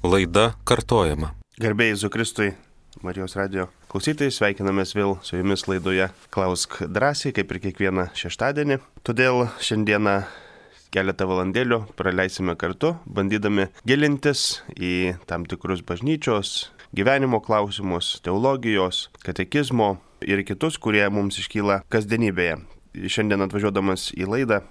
Laida kartojama. Garbė Jėzui Kristui, Marijos radijo klausytojai, sveikinamės vėl su jumis laidoje Klausk drąsiai, kaip ir kiekvieną šeštadienį. Todėl šiandieną keletą valandėlių praleisime kartu, bandydami gilintis į tam tikrus bažnyčios, gyvenimo klausimus, teologijos, katekizmo ir kitus, kurie mums iškyla kasdienybėje. Šiandien atvažiuodamas į laidą,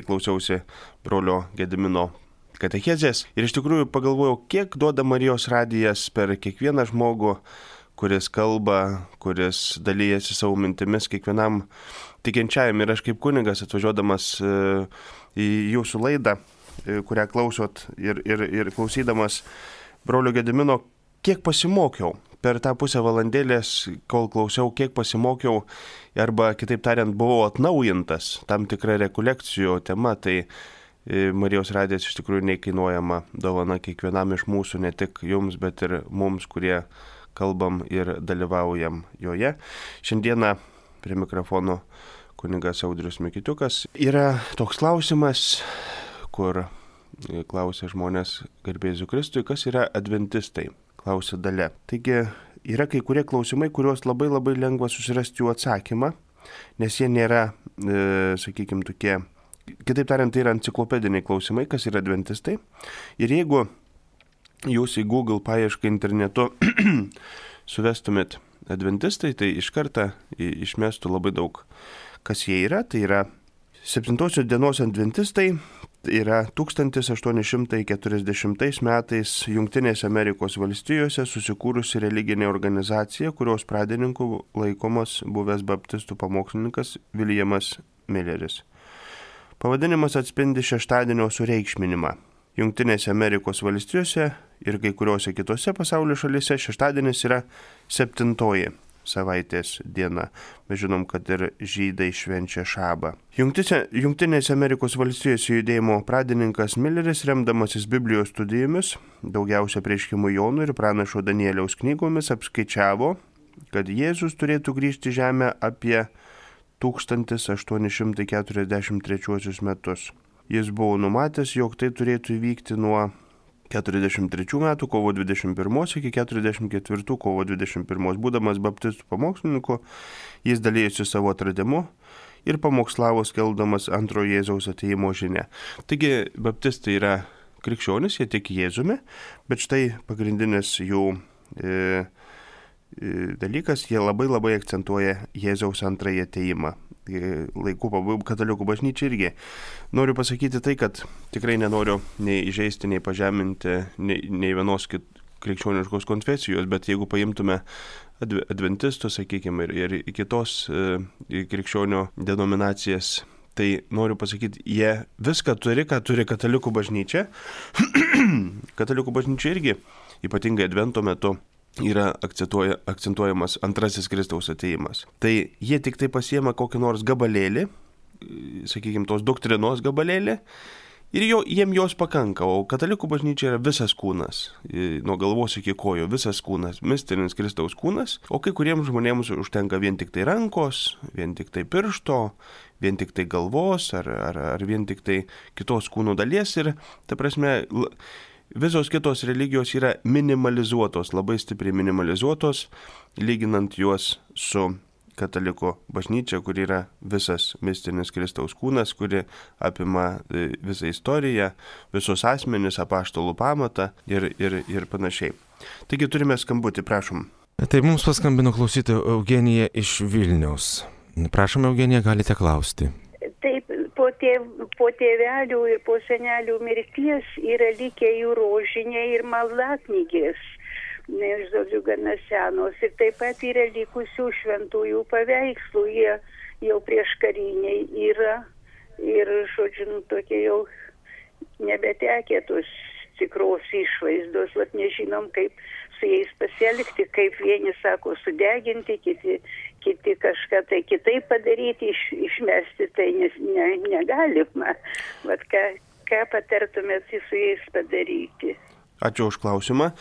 klausiausi brolio Gedimino katechezės ir iš tikrųjų pagalvojau, kiek duoda Marijos radijas per kiekvieną žmogų, kuris kalba, kuris dalyjasi savo mintimis kiekvienam tikinčiajam. Ir aš kaip kunigas atvažiuodamas į jūsų laidą, kurią klausot ir klausydamas brolio Gedimino, kiek pasimokiau. Per tą pusę valandėlės, kol klausiau, kiek pasimokiau, arba kitaip tariant, buvau atnaujintas tam tikrą rekolekcijų tema, tai Marijos radijas iš tikrųjų neįkainuojama dovana kiekvienam iš mūsų, ne tik jums, bet ir mums, kurie kalbam ir dalyvaujam joje. Šiandieną prie mikrofono kunigas Audrius Mikitiukas. Yra toks klausimas, kur klausia žmonės garbė Jėzui Kristui, kas yra adventistai, klausia Dalia. Taigi yra kai kurie klausimai, kuriuos labai lengva susirasti jų atsakymą, nes jie nėra, sakykime, tokie. Kitaip tariant, tai yra enciklopediniai klausimai, kas yra adventistai. Ir jeigu jūs į Google paiešką internetu suvestumėt adventistai, tai iš karto išmestų labai daug, kas jie yra. Tai yra 7 dienos adventistai, tai yra 1840 metais Jungtinėse Amerikos valstijose susikūrusi religinė organizacija, kurios pradininku laikomas buvęs baptistų pamokslininkas Williamas Milleris. Pavadinimas atspindi šeštadienio sureikšminimą. Jungtinėse Amerikos valstijose ir kai kuriuose kitose pasaulio šalyse šeštadienis yra 7 savaitės diena. Mes žinom, kad ir žydai švenčia šabą. Jungtinėse Amerikos valstijose judėjimo pradininkas Milleris, remdamasis Biblijos studijomis, daugiausia Apreiškimo Jonų ir Pranašo Danieliaus knygomis, apskaičiavo, kad Jėzus turėtų grįžti į žemę apie 1843 metus. Jis buvo numatęs, jog tai turėtų įvykti nuo 43 metų kovo 21 iki 44 kovo 21. Būdamas baptistų pamokslininku, jis dalyjosi savo atradimu ir pamokslavo skelbdamas antrojo Jėzaus atėjimo žinią. Taigi, baptistai yra krikščionys, jie tiki Jėzumi, bet štai pagrindinis jų dalykas, jie labai akcentuoja Jėzaus antrąjį atėjimą. Laikų pabaigų katalikų bažnyčia irgi. Noriu pasakyti tai, kad tikrai nenoriu nei įžeisti, nei pažeminti nei vienos krikščioniškos konfesijos, bet jeigu paimtume adventistus, sakykime, ir kitos krikščionių denominacijas, tai noriu pasakyti, jie viską turi, ką turi katalikų bažnyčia. Katalikų bažnyčia irgi, ypatingai advento metu, yra akcentuojamas antrasis Kristaus atėjimas. Tai jie tik tai pasiema kokį nors gabalėlį, sakykime, tos doktrinos gabalėlį, ir jiem jos pakanka, o katalikų bažnyčia yra visas kūnas, nuo galvos iki kojų, visas kūnas, mistinis Kristaus kūnas, o kai kuriems žmonėms užtenka vien tik tai rankos, vien tik tai piršto, vien tik tai galvos, ar vien tik tai kitos kūno dalies, ir ta prasme, visos kitos religijos yra minimalizuotos, labai stipriai minimalizuotos, lyginant juos su kataliko bažnyčia, kuri yra visas mistinis Kristaus kūnas, kuri apima visą istoriją, visus asmenis, apaštalų pamatą ir panašiai. Taigi turime skambutį, prašom. Tai mums paskambino klausytoja Eugenija iš Vilniaus. Prašom, Eugenija, galite klausti. Taip, po tėvelių ir po senelių mirties yra likę jų rožiniai ir maldaknygės, žodžiu, gana senos. Ir taip pat yra likusių šventųjų paveikslų, jie jau prieškariniai yra ir, žodžiu, tokie jau nebetekę tos tikros išvaizdos. Vat nežinom, kaip su jais pasielgti, kaip vieni sako sudeginti, kiti kažką tai kitaip padaryti, išmesti, tai negalima. Vat ką patartumėt su jais padaryti? Ačiū už klausimą.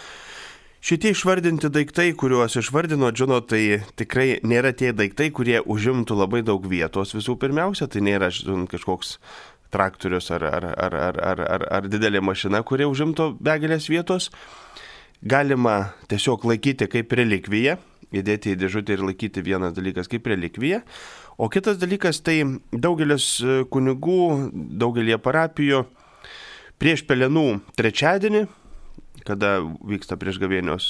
Šitie išvardinti daiktai, kuriuos išvardino, žinot, tai tikrai nėra tie daiktai, kurie užimtų labai daug vietos. Visų pirmiausia, tai nėra kažkoks traktorius ar didelė mašina, kuri užimtų begalės vietos, galima tiesiog laikyti kaip relikviją, įdėti į dėžutę ir laikyti vienas dalykas kaip relikviją, o kitas dalykas tai daugelis kunigų, daugelie parapijų prieš Pelenų trečiadienį, kada vyksta prieš gavėnios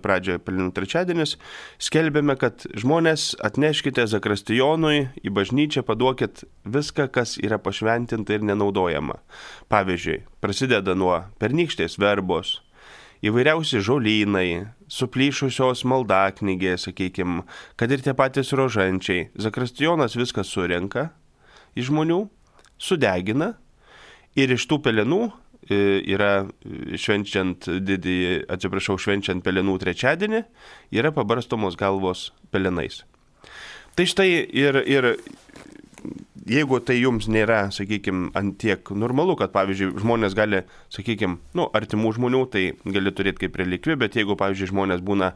pradžioje Pelenų trečiadienis, skelbėme, kad žmonės atneškite zakristijonui į bažnyčią, paduokit viską, kas yra pašventinta ir nenaudojama. Pavyzdžiui, prasideda nuo pernykštės verbos, įvairiausi žolynai, suplyšusios maldaknygės, sakykime, kad ir tie patys rožančiai. Zakristijonas viską surenka iš žmonių, sudegina ir iš tų pelenų yra švenčiant Pelenų trečiadienį, yra pabarstomos galvos pelenais. Tai štai ir jeigu tai jums nėra, sakykime, antiek normalu, kad, pavyzdžiui, žmonės gali, sakykime, artimų žmonių, tai gali turėti kaip relikviją, bet jeigu, pavyzdžiui, žmonės būna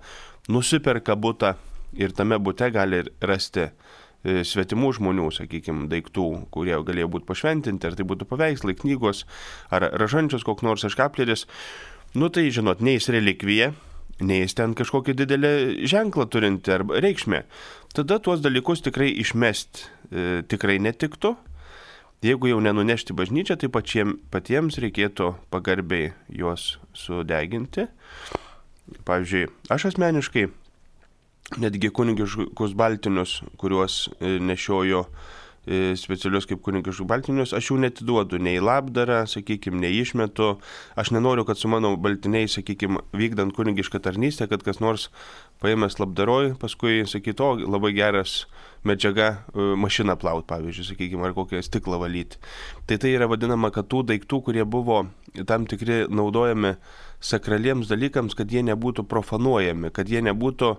nusiperka butą ir tame bute gali rasti svetimų žmonių, sakykime, daiktų, kurie galėjo būti pašventinti, ar tai būtų paveikslai, knygos, ar ražančios koks nors aškapleris, tai, žinot, nei jis relikvija, nei jis ten kažkokį didelį ženklą turinti arba reikšmę. Tada tuos dalykus tikrai išmesti tikrai netiktų. Jeigu jau nenunešti bažnyčią, tai patiems reikėtų pagarbiai juos sudeginti. Pavyzdžiui, aš asmeniškai netgi kunigiškus baltinius, kuriuos nešiojo specialius kaip kunigiškus baltinius, aš jų netiduodu nei į labdarą, sakykime, nei išmetu. Aš nenoriu, kad su mano baltiniais, sakykime, vykdant kunigišką tarnystę, kad kas nors paėmęs labdaroj, paskui sakytų, labai geras medžiaga mašiną plaut, pavyzdžiui, sakykime, ar kokią stiklą valyti. Tai yra vadinama, kad tų daiktų, kurie buvo tam tikri naudojami sakraliems dalykams, kad jie nebūtų profanuojami, kad jie nebūtų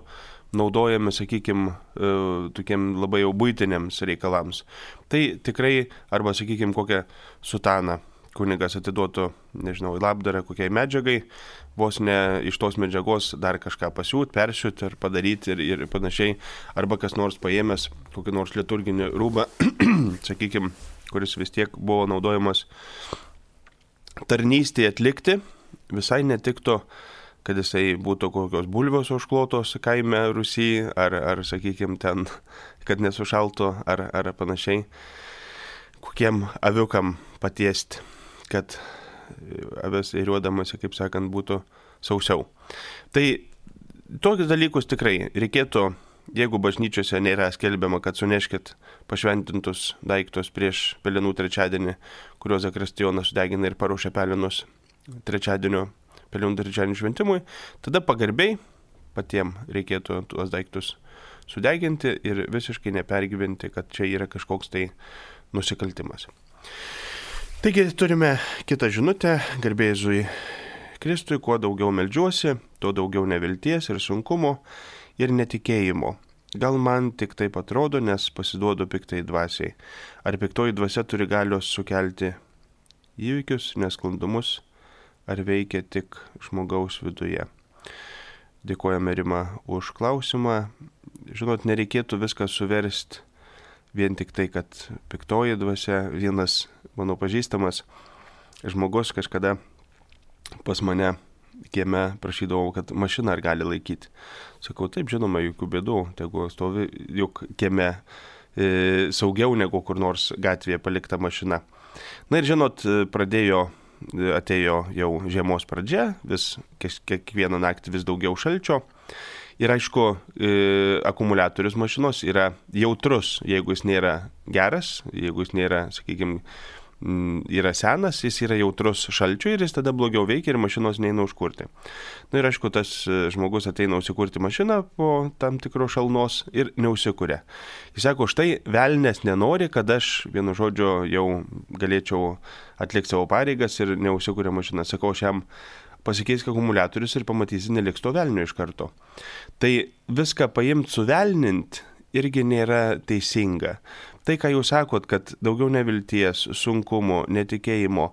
naudojami, sakykime, tokiem labai jau buitiniams reikalams. Tai tikrai, arba, sakykime, kokią sutaną kunigas atiduotų, nežinau, į labdarą kokiai medžiagai, vos ne iš tos medžiagos dar kažką pasiūt, persiūt ir padaryti ir panašiai, arba kas nors paėmęs kokį nors liturginį rūbą, sakykime, kuris vis tiek buvo naudojamas tarnystėje atlikti, visai netiktų, kad jisai būtų kokios bulvos užklotos kaime Rusy, ar sakykime, ten, kad nesušaltų, ar panašiai, kokiem aviukam patiesti, kad avis įriuodamasi, kaip sakant, būtų sausiau. Tai tokius dalykus tikrai reikėtų, jeigu bažnyčiose nėra skelbiama, kad suneškit pašventintus daiktus prieš Pelenų trečiadienį, kuriuos zakristijonas sudegina ir paruošia pelenus Pelenų trečiadienio šventimui, tada pagarbiai patiem reikėtų tuos daiktus sudeginti ir visiškai nepergyventi, kad čia yra kažkoks tai nusikaltimas. Taigi turime kitą žinutę, garbė Jėzui Kristui, kuo daugiau meldžiuosi, tuo daugiau nevilties ir sunkumo ir netikėjimo. Gal man tik taip atrodo, nes pasiduodu piktai dvasiai. Ar piktoji dvasia turi galios sukelti įvykius, nesklandumus, ar veikia tik žmogaus viduje? Dėkojame, Rima, už klausimą. Žinot, nereikėtų viską suversti vien tik tai, kad piktoji dvasia. Vienas mano pažįstamas žmogus kažkada pas mane kieme prašydavau, kad mašiną ar gali laikyti. Sakau, taip, žinoma, jokių bėdų, tegu stovi juk kieme saugiau negu kur nors gatvėje palikta mašina. Na ir žinot, atėjo jau žiemos pradžia, vis kiekvieną naktį vis daugiau šalčio. Ir aišku, akumuliatorius mašinos yra jautrus, jeigu jis nėra geras, jeigu jis nėra, sakykime, yra senas, jis yra jautrus šalčiui ir jis tada blogiau veikia ir mašinos neina užkurti. Na ir aišku, tas žmogus ateina užsikurti mašiną po tam tikro šalnos ir neužsikuria. Jis sako, štai velnės nenori, kad aš vienu žodžiu jau galėčiau atlikti savo pareigas ir neužsikuria mašina. Sakau, aš jam pasikeisk akumuliatorius ir pamatysi, neliks to velnio iš karto. Tai viską paimti suvelnint irgi nėra teisinga. Tai, ką jūs sakot, kad daugiau nevilties, sunkumo, netikėjimo,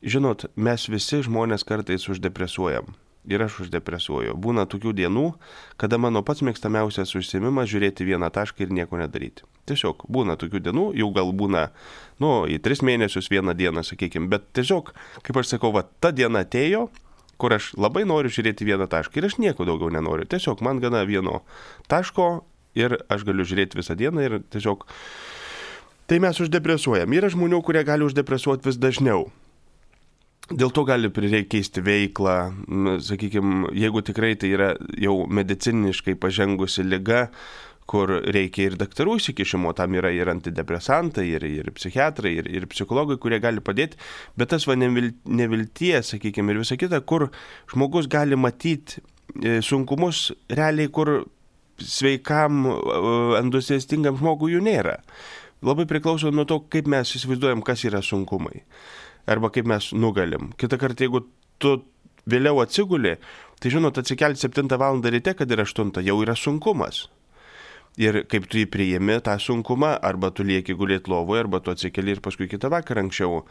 žinot, mes visi žmonės kartais uždepresuojam. ir aš uždepresuoju. Būna tokių dienų, kada mano pats mėgstamiausias užsiėmimas žiūrėti vieną tašką ir nieko nedaryti. Tiesiog būna tokių dienų, jau gal būna, į 3 mėnesius vieną dieną, sakykime, bet tiesiog, kaip aš sakau, ta diena atėjo, kur aš labai noriu žiūrėti vieną tašką ir aš nieko daugiau nenoriu. Tiesiog man gana vieno taško ir aš galiu žiūrėti visą dieną ir tiesiog tai mes uždepresuojam. Yra žmonių, kurie gali uždepresuoti vis dažniau. Dėl to gali prireikti keisti veiklą, sakykime, jeigu tikrai tai yra jau mediciniškai pažengusi liga, kur reikia ir daktarų įsikišimo, tam yra ir antidepresantai, ir psichiatrai, ir psichologai, kurie gali padėti, bet tas nevilties, sakykime, ir visa kita, kur žmogus gali matyti sunkumus realiai, kur sveikam, entuziastingam žmogui jų nėra. Labai priklauso nuo to, kaip mes įsivaizduojam, kas yra sunkumai. Arba kaip mes nugalim. Kitą kartą, jeigu tu vėliau atsiguli, tai atsikelti 7 val. Ryte, kad ir 8, jau yra sunkumas. Ir kaip tu jį priimi tą sunkumą, arba tu lieki gulėti lovoje, arba tu atsikeli ir paskui kitą vakarą anksčiau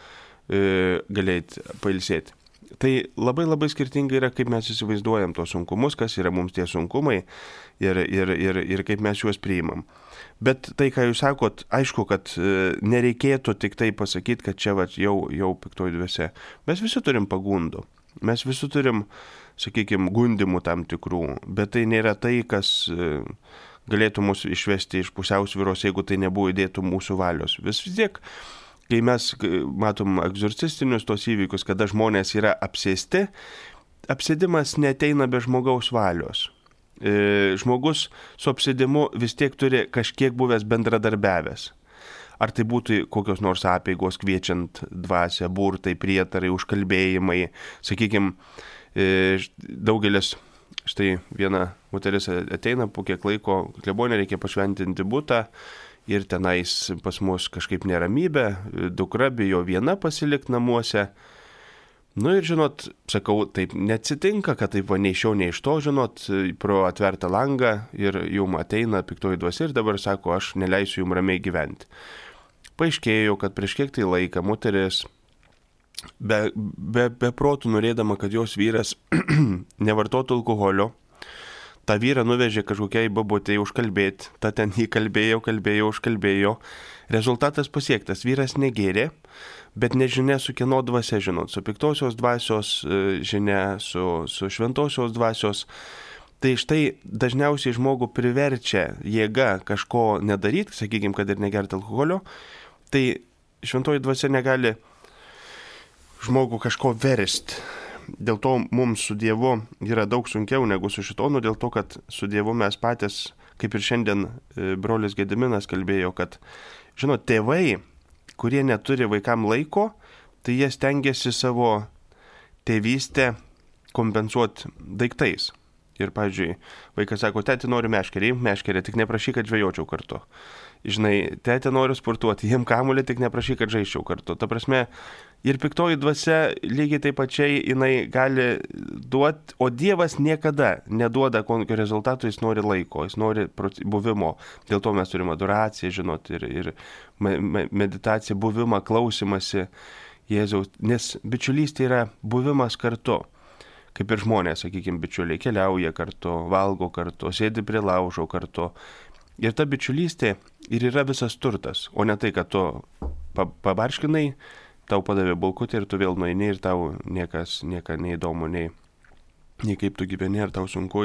galėti pailsėti. Tai labai labai skirtingai yra, kaip mes įsivaizduojam tos sunkumus, kas yra mums tie sunkumai ir kaip mes juos priimam. Bet tai, ką jūs sakot, aišku, kad nereikėtų tik tai pasakyti, kad čia jau piktoji dvasia. Mes visi turim pagundų. Mes visi turim, sakykime, gundimų tam tikrų, bet tai nėra tai, kas galėtų mus išvesti iš pusiausvyros, jeigu tai nebuvo įdėtų mūsų valios. Vis tiek, kai mes matom egzorcistinius tos įvykius, kada žmonės yra apsėsti, apsėdimas neteina be žmogaus valios. Žmogus su apsėdimu vis tiek turi kažkiek buvęs bendradarbiavęs. Ar tai būtų kokios nors apeigos kviečiant dvasią, burtai, prietarai, užkalbėjimai. Sakykime, daugelis, štai viena moteris ateina po kiek laiko, klebonė reikia pašventinti butą ir tenais pas mus kažkaip neramybė, dukra bijo viena pasilikti namuose. Ir sakau, taip neatsitinka, kad taip nei iš šio, nei iš to, pro atvertą langą ir jum ateina piktoji dvasia ir dabar sako, aš neleisiu jum ramiai gyventi. Paaiškėjo, kad prieš kiek tai laiką moteris be protų norėdama, kad jos vyras nevartotų alkoholio, tą vyrą nuvežė kažkokiai babutei užkalbėti, ta ten jį užkalbėjo. Rezultatas pasiektas, vyras negėrė, bet nežinia su kieno dvasia, su piktosios dvasios žinia, su šventosios dvasios. Tai štai dažniausiai žmogų priverčia jėga kažko nedaryti, sakykime, kad ir negerti alkoholio, tai šventoji dvasia negali žmogų kažko versti. Dėl to mums su Dievu yra daug sunkiau negu su šitonu, dėl to, kad su Dievu mes patys, kaip ir šiandien brolis Gediminas kalbėjo, kad tėvai, kurie neturi vaikam laiko, tai jie stengiasi savo tėvystę kompensuoti daiktais. Ir, pavyzdžiui, vaikas sako, tėti noriu meškerį, tik neprašyk, kad žvejočiau kartu. Tėti noriu sportuoti, jiem kamuolį, tik neprašyk, kad žaisčiau kartu. Ta prasme, ir piktoji dvasia lygiai taip pačiai jinai gali duoti, o Dievas niekada neduoda kokio rezultato, jis nori laiko, jis nori buvimo. Dėl to mes turime adoraciją, ir meditaciją, buvimą, klausimąsi Jėzaus, nes bičiulystė yra buvimas kartu. Kaip ir žmonės, sakykime, bičiuliai keliauja kartu, valgo kartu, sėdi prie laužo kartu. Ir ta bičiulystė ir yra visas turtas, o ne tai, kad tu pabarškinai, tau padavė bulkutį ir tu vėl nueini ir tau nieka neįdomu, nei kaip tu gyveni, ar tau sunku.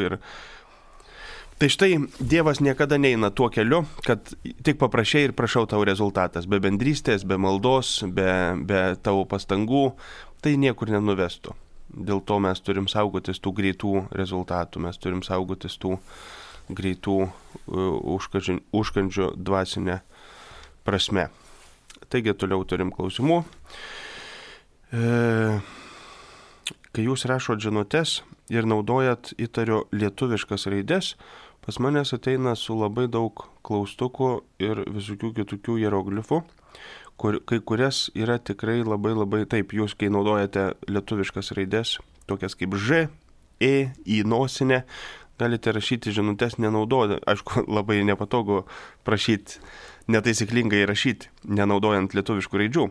Tai štai Dievas niekada neina tuo keliu, kad tik paprašai ir prašau tau rezultatas. Be bendrystės, be maldos, be tavo pastangų, tai niekur nenuvestų. Dėl to mes turim saugotis tų greitų rezultatų, mes turim saugotis tų greitų užkandžių dvasinę prasme. Taigi toliau turim klausimų. Kai jūs rašot žinutes ir naudojat įtariu lietuviškas raides, pas manęs ateina su labai daug klaustukų ir visokių kitokių hieroglifų, kai kurias yra tikrai labai taip, jūs kai naudojate lietuviškas raides, tokias kaip Ž, E, į nosinę, galite rašyti žinutes nenaudojant, aišku, labai nepatogu prašyti, netaisyklingai rašyti, nenaudojant lietuviškų raidžių.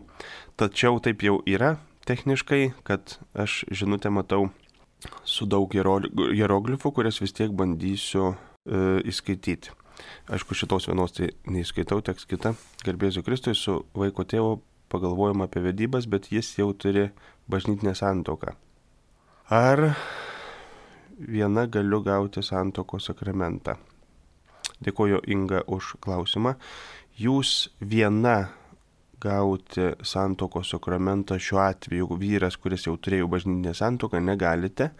Tačiau taip jau yra techniškai, kad aš žinutę matau su daug hieroglifų, kurias vis tiek bandysiu įskaityti. Aišku, šitos vienos tai neįskaitau, teks kitą. Garbėsiu Kristui, su vaiko tėvu pagalvojom apie vedybas, bet jis jau turi bažnytinę santuoką. Ar viena galiu gauti santuokos sakramentą? Dėkoju Inga už klausimą. Jūs viena gauti santuokos sakramentą šiuo atveju vyras, kuris jau turėjo bažnytinę santuoką, negalite.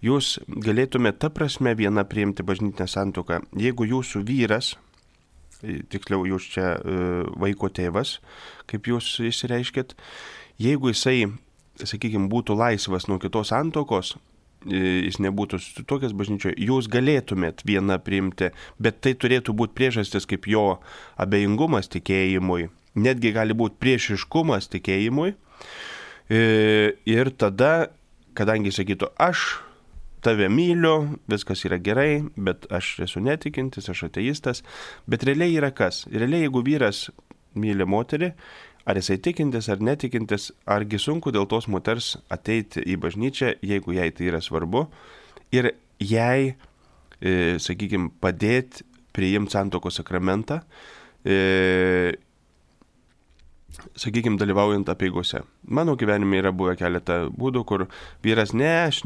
Jūs galėtumėte ta prasme viena priimti bažnytinę santuoką, jeigu jūsų vyras, tiksliau jūs čia vaiko tėvas, kaip jūs išsireiškit, jeigu jisai, sakykime, būtų laisvas nuo kitos santuokos, jis nebūtų susituokęs bažnyčioje, jūs galėtumėt vieną priimti, bet tai turėtų būti priežastis kaip jo abejingumas tikėjimui, netgi gali būti priešiškumas tikėjimui. Ir tada, kadangi sakytų, aš tave myliu, viskas yra gerai, bet aš esu netikintis, aš ateistas, bet realiai yra kas? Realiai, jeigu vyras myli moterį, ar jisai tikintis ar netikintis, argi sunku dėl tos moters ateiti į bažnyčią, jeigu jai tai yra svarbu, ir jai, sakykime, padėti priimti santuokos sakramentą, sakykime, dalyvaujant apeigose. Mano gyvenime yra buvę keletą būdų, kur vyras, aš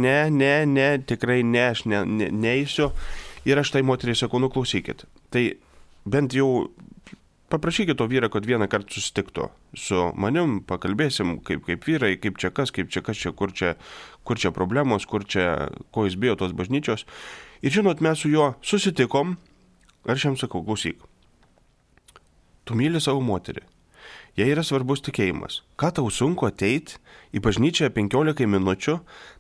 tikrai aš neįsiu, ir aš tai moteriai sakau, nuklausykit. Tai bent jau paprašykit to vyrą, kad vieną kartą susitiktų su manim, pakalbėsim, kaip vyrai, kaip čia kas, kur čia problemos, ko jis bijo tos bažnyčios. Ir žinot, mes su juo susitikom, ir aš jam sakau, klausyk, tu myli savo moterį. Jei yra svarbus tikėjimas. Ką tau sunku ateiti į bažnyčią 15 minučių,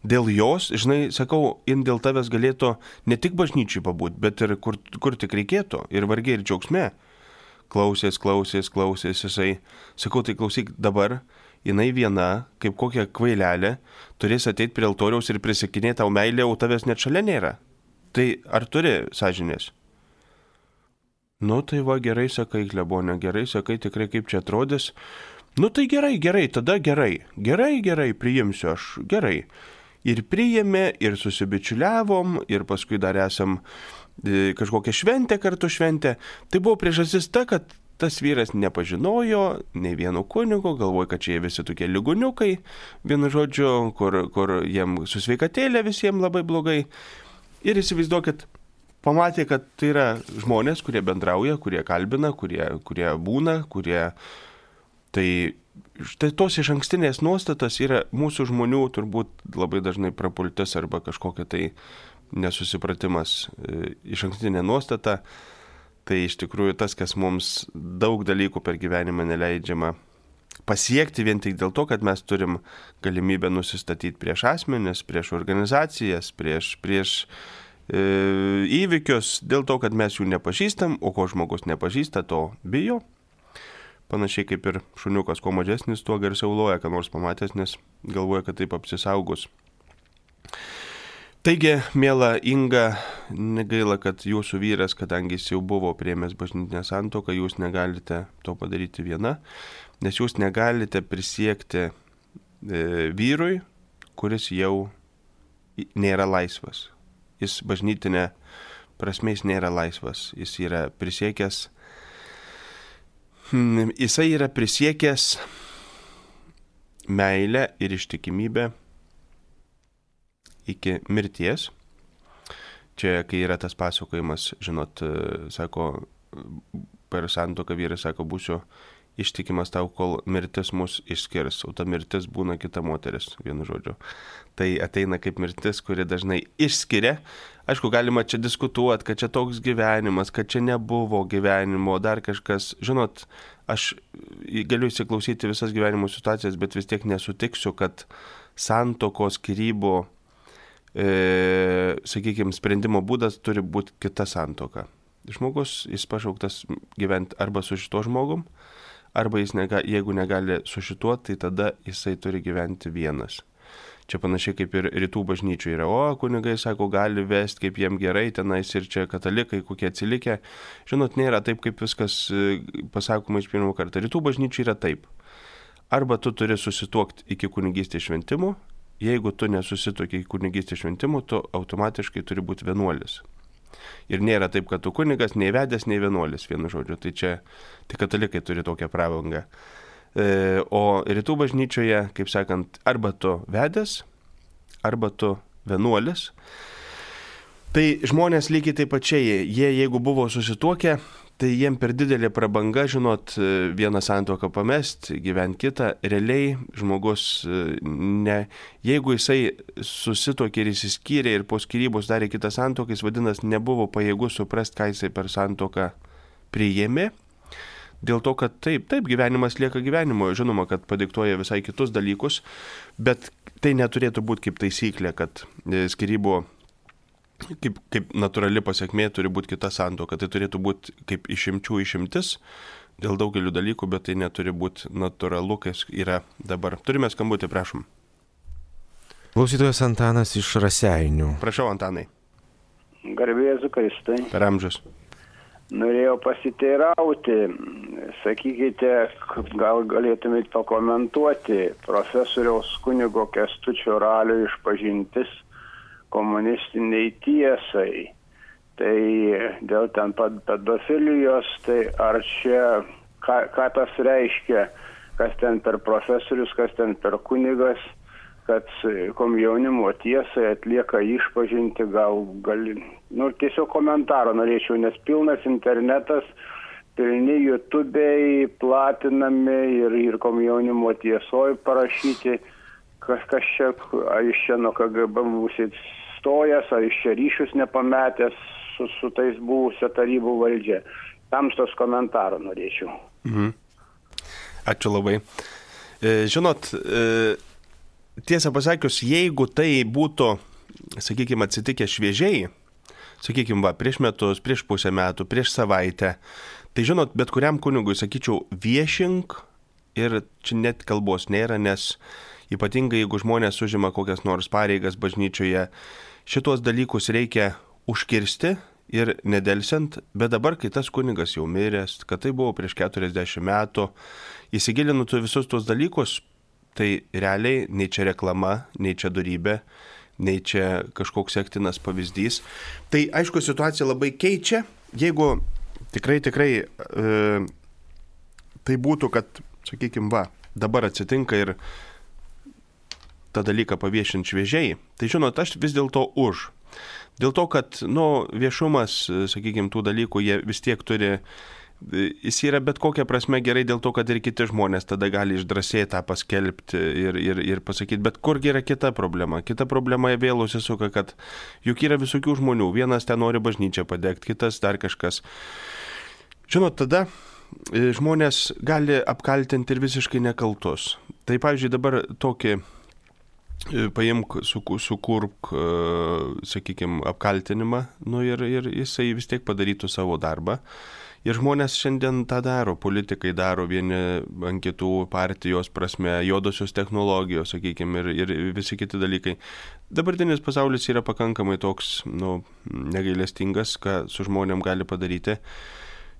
dėl jos, žinai, sakau, dėl tavęs galėtų ne tik bažnyčiai pabūti, bet ir kur tik reikėtų, ir vargiai ir džiaugsme. Klausės, jisai, sakau, tai klausyk dabar, jinai viena, kaip kokia kvailelė, turės ateiti prie altoriaus ir prisikinėti tau meilę, o tavęs net šalia nėra. Tai ar turi sąžinės? Nu tai va, gerai sakai, klebone, gerai sakai, tikrai kaip čia atrodys. Nu tai gerai, tada gerai, priimsiu aš, gerai. Ir priėmė, ir susibičiuliavom, ir paskui dar esam kažkokią šventę kartu šventę. Tai buvo priežastis ta, kad tas vyras nepažinojo nei vieno kunigo, galvoja, kad čia jie visi tokie ligoniukai, vienu žodžiu, kur jiem su sveikatėlė visiems labai blogai. Ir įsivaizduokit, pamatė, kad tai yra žmonės, kurie bendrauja, kurie kalbina, kurie būna, Tai štai tos išankstinės nuostatas yra mūsų žmonių turbūt labai dažnai prapultis arba kažkokia tai nesusipratimas. Išankstinė nuostata, tai iš tikrųjų tas, kas mums daug dalykų per gyvenimą neleidžiama pasiekti vien tik dėl to, kad mes turim galimybę nusistatyti prieš asmenis, prieš organizacijas, prieš įvykius, dėl to, kad mes jų nepažįstam, o ko žmogus nepažįsta, to bijo. Panašiai kaip ir šuniukas, kuo mažesnis, tuo garsiau loja, ką nors pamatęs, nes galvoja, kad taip apsisaugus. Taigi, miela Inga, negaila, kad jūsų vyras, kadangi jis jau buvo priėmęs bažnytinę santuoką, jūs negalite to padaryti viena, nes jūs negalite prisiekti vyrui, kuris jau nėra laisvas. Jis bažnytinė prasme jis nėra laisvas. Jis yra prisiekęs meilę ir ištikimybę iki mirties. Čia, kai yra tas pasakojimas, žinot, sako, per santuoką vyras sako, būsiu ištikimas tau, kol mirtis mus išskirs, o ta mirtis būna kita moteris, vienu žodžiu. Tai ateina kaip mirtis, kuri dažnai išskiria. Aišku, galima čia diskutuoti, kad čia toks gyvenimas, kad čia nebuvo gyvenimo, dar kažkas. Žinot, aš galiu įsiklausyti visas gyvenimo situacijas, bet vis tiek nesutiksiu, kad santuokos skyrybų, sakykime, sprendimo būdas turi būti kita santuoka. Žmogus, jis pašauktas gyventi arba su šituo žmogum, arba jis jeigu negali su šituo, tai tada jisai turi gyventi vienas. Čia panašiai kaip ir rytų bažnyčių yra, o kunigai sako, gali vesti kaip jiem gerai, tenais ir čia katalikai, kokie atsilikę. Žinot, nėra taip, kaip viskas pasakoma iš pirmo karto. Rytų bažnyčių yra taip. Arba tu turi susituokti iki kunigystės šventimų, jeigu tu nesusituoki kunigystės šventimų, tu automatiškai turi būti vienuolis. Ir nėra taip, kad tu kunigas, nei vedęs, nei vienuolis, vienu žodžiu. Tai čia tik katalikai turi tokią prabangą. O rytų bažnyčioje, kaip sakant, arba tu vedęs, arba tu vienuolis. Tai žmonės lygiai taip pačiai, jie jeigu buvo susituokę, tai jiem per didelė prabanga, žinot, vieną santuoką pamest, gyventi kitą. Realiai žmogus, jeigu jisai susituokė ir įsiskyrė ir po skyrybos darė kitą santuoką, jis vadinasi nebuvo pajėgus suprasti, ką jisai per santuoką priėmė. Dėl to, kad taip, gyvenimas lieka gyvenimo, žinoma, kad padiktuoja visai kitus dalykus, bet tai neturėtų būti kaip taisyklė, kad skyrybų kaip natūrali pasiekmė turi būti kita santuoka. Tai turėtų būti kaip išimčių išimtis dėl daugelių dalykų, bet tai neturi būti natūralu, kas yra dabar. Turime skambutį, prašom. Klausytojas Antanas iš Raseinių. Prašau, Antanai. Garbė Jėzui Kristui. Per amžius. Norėjau pasiteirauti, sakykite, gal galėtumėte pakomentuoti profesoriaus kunigo Kęstučio Ralio išpažintis komunistiniai tiesai. Tai dėl ten pedofilijos, tai ar čia, ką tas reiškia, kas ten per profesorius, kas ten per kunigas, kad komjaunimo tiesai atlieka išpažinti, tiesiog komentaro norėčiau, nes pilnas internetas, pilni YouTube'ai platinami ir komjaunimo tiesoj parašyti, kas čia, ar iš čia nuo KGB būsit stojęs, ar iš čia ryšius nepametęs su tais buvusio tarybų valdžia. Tamstos komentaro norėčiau. Ačiū labai. Žinot, tiesą pasakius, jeigu tai būtų, sakykime, atsitikę šviežiai, sakykime, prieš metus, prieš pusę metų, prieš savaitę, tai žinot, bet kuriam kunigui, sakyčiau, viešink ir čia net kalbos nėra, nes ypatingai jeigu žmonės užima kokias nors pareigas bažnyčioje, šitos dalykus reikia užkirsti ir nedelsiant, bet dabar, kai tas kunigas jau miręs, kad tai buvo prieš 40 metų, įsigilintų visus tuos dalykus, tai realiai nei čia reklama, nei čia dorybė, nei čia kažkoks sektinas pavyzdys. Tai aišku, situacija labai keičia, jeigu tikrai tai būtų, kad, sakykime, dabar atsitinka ir tą dalyką paviešinti šviežiai, tai žinot, aš vis dėlto už. Dėl to, kad, viešumas, sakykime, tų dalykų, jie vis tiek turi, jis yra bet kokia prasme gerai dėl to, kad ir kiti žmonės tada gali išdrąsiai tą paskelbti ir pasakyti, bet kurgi yra kita problema. Kita problema vėl užsisuka, kad juk yra visokių žmonių, vienas ten nori bažnyčią padegti, kitas dar kažkas. Žinot, tada žmonės gali apkaltinti ir visiškai nekaltus. Tai, pavyzdžiui, dabar tokį paimk, sukurk, sakykime, apkaltinimą, ir jisai vis tiek padarytų savo darbą. Ir žmonės šiandien tą daro, politikai daro vieni ant kitų, partijos prasme, juodosios technologijos, sakykime, ir visi kiti dalykai. Dabartinis pasaulis yra pakankamai toks, negailestingas, ką su žmonėm gali padaryti.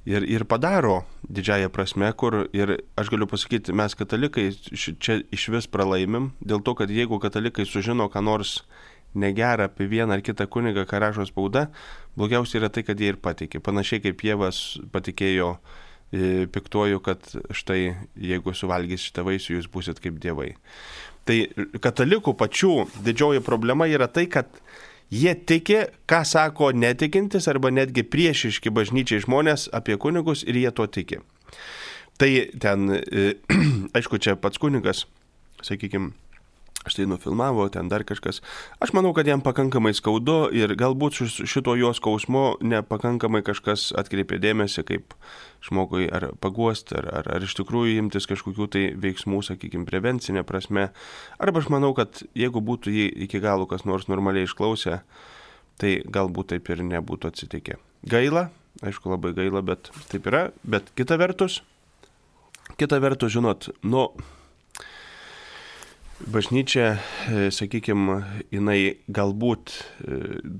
Ir padaro didžiąją prasme, kur, ir aš galiu pasakyti, mes katalikai čia iš vis pralaimim, dėl to, kad jeigu katalikai sužino, ką nors negerą apie vieną ar kitą kunigą, ką rašo spauda, blogiausia yra tai, kad jie ir patikė. Panašiai kaip Dievas patikėjo piktuoju, kad štai jeigu suvalgys šitą vaisių, jūs būsit kaip dievai. Tai katalikų pačių didžioji problema yra tai, kad jie tiki, ką sako netikintis arba netgi priešiški bažnyčiai žmonės apie kunigus ir jie to tiki. Tai ten, aišku, čia pats kunigas, sakykime, štai nufilmavo, ten dar kažkas. Aš manau, kad jam pakankamai skaudu ir galbūt šito jo skausmo nepakankamai kažkas atkreipė dėmesį, kaip žmogui ar paguosti, ar iš tikrųjų imtis kažkokių tai veiksmų, sakykime, prevencinė prasme. Arba aš manau, kad jeigu būtų jį iki galo kas nors normaliai išklausę, tai galbūt taip ir nebūtų atsitikę. Gaila, aišku, labai gaila, bet taip yra. Bet kita vertus, žinot, bažnyčia, sakykime, jinai galbūt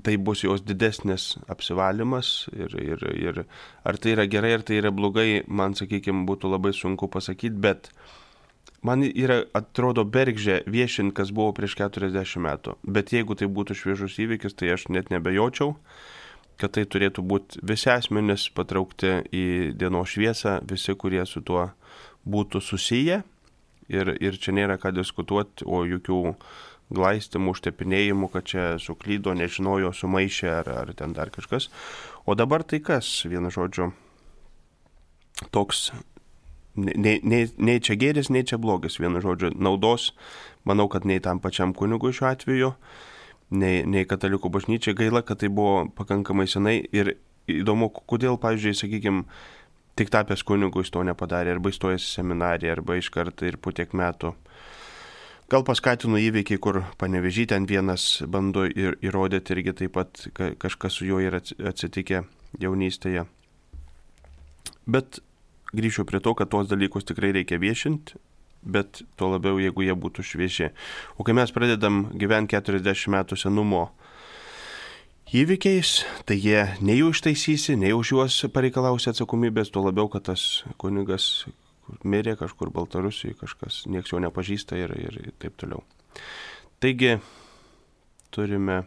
tai bus jos didesnis apsivalymas ir ar tai yra gerai, ar tai yra blogai, man, sakykime, būtų labai sunku pasakyti, bet man atrodo bergždžia viešinti, kas buvo prieš 40 metų. Bet jeigu tai būtų šviežus įvykis, tai aš net nebejočiau, kad tai turėtų būti visi asmenys patraukti į dienos šviesą, visi, kurie su tuo būtų susiję. Ir čia nėra ką diskutuoti, o jokių glaistimų, užtepinėjimų, kad čia suklydo, nežinojo, sumaišė ar ten dar kažkas. O dabar tai kas, vienu žodžiu, toks... Nei čia gėris, nei čia blogis, vienu žodžiu, naudos, manau, kad nei tam pačiam kunigui šiuo atveju, nei katalikų bažnyčiai. Gaila, kad tai buvo pakankamai senai ir įdomu, kodėl, pavyzdžiui, sakykime, tik tapęs kunigu jis to nepadarė, arba įstojęs į seminariją, arba iš karto ir po tiek metų. Gal paskatino įvykiai, kur Panevėžy ten vienas bando įrodyti irgi taip pat kažkas su juo yra atsitikę jaunystėje. Bet grįšiu prie to, kad tos dalykus tikrai reikia viešinti, bet tuo labiau, jeigu jie būtų švieži. O kai mes pradedam gyventi 40 metų senumo įvykiais, tai jie nei jų ištaisysi, nei už juos pareikalausi atsakomybės, tuo labiau, kad tas kunigas mirė kažkur Baltarusijoje, kažkas nieks jo nepažįsta ir taip toliau. Taigi, turime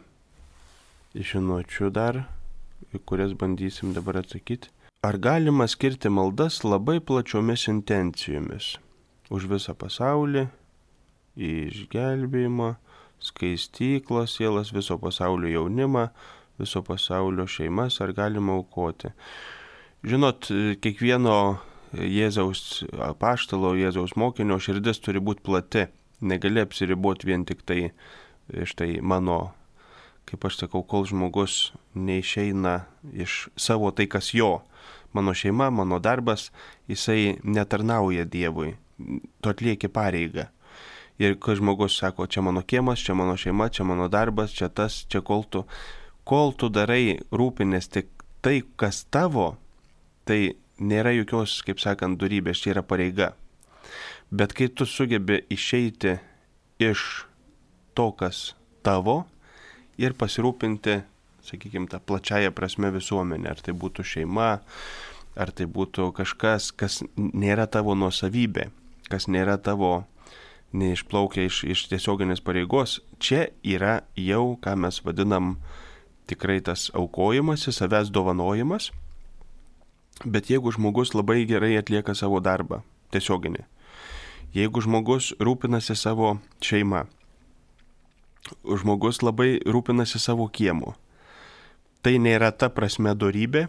žinučių dar, kurias bandysim dabar atsakyti. Ar galima skirti maldas labai plačiomis intencijomis? Už visą pasaulį, išgelbėjimą, skaistyklos sielas, viso pasaulio jaunimą, viso pasaulio šeimas, ar galima aukoti? Žinot, kiekvieno Jėzaus apaštalo, Jėzaus mokinio širdis turi būti plati. Negali apsiriboti vien tik tai, štai mano, kaip aš sakau, kol žmogus neišeina iš savo tai, kas jo. Mano šeima, mano darbas, jisai netarnauja Dievui, tu atlieki pareigą. Ir kai žmogus sako, čia mano kiemas, čia mano šeima, čia mano darbas, čia tas, čia kol tu darai rūpinės tik tai, kas tavo, tai nėra jokios, kaip sakant, dorybės, čia yra pareiga. Bet kai tu sugebi išeiti iš to, kas tavo ir pasirūpinti, sakykime, tą plačiają prasme visuomenę, ar tai būtų šeima, ar tai būtų kažkas, kas nėra tavo nuosavybė, kas nėra tavo, neišplaukia iš tiesioginės pareigos, čia yra jau, ką mes vadinam, tikrai tas aukojimasis, savęs dovanojimas. Bet jeigu žmogus labai gerai atlieka savo darbą, tiesioginį, jeigu žmogus rūpinasi savo šeima, žmogus labai rūpinasi savo kiemu, tai nėra ta prasme dorybė,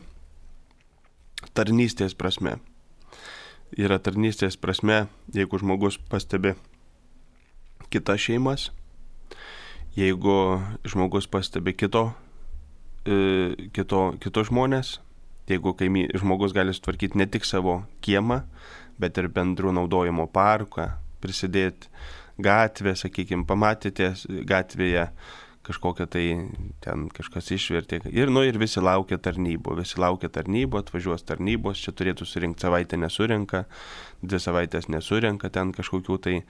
tarnystės prasme. Yra tarnystės prasme, jeigu žmogus pastebi kitas šeimas, jeigu žmogus pastebi kitos žmonės, jeigu žmogus gali sutvarkyti ne tik savo kiemą, bet ir bendrų naudojimo parką, prisidėti gatvę, sakykime, pamatėte gatvėje kažkokią tai ten kažkas išvertė. Ir visi laukia tarnybų, atvažiuos tarnybos, čia turėtų surinkti savaitę nesurenka, 2 savaitės nesurenka ten kažkokių tai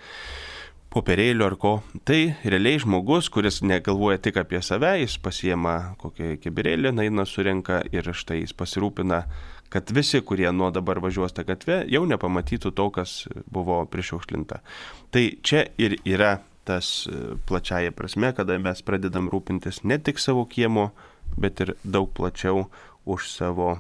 popierėlių ar ko. Tai realiai žmogus, kuris negalvoja tik apie save, jis pasiema kokią kibirėlį, eina surenka ir štai jis pasirūpina, kad visi, kurie nuo dabar važiuos tą gatvę, jau nepamatytų to, kas buvo prišiukšlinta. Tai čia ir yra tas plačiaja prasme, kada mes pradedam rūpintis ne tik savo kiemo, bet ir daug plačiau už savo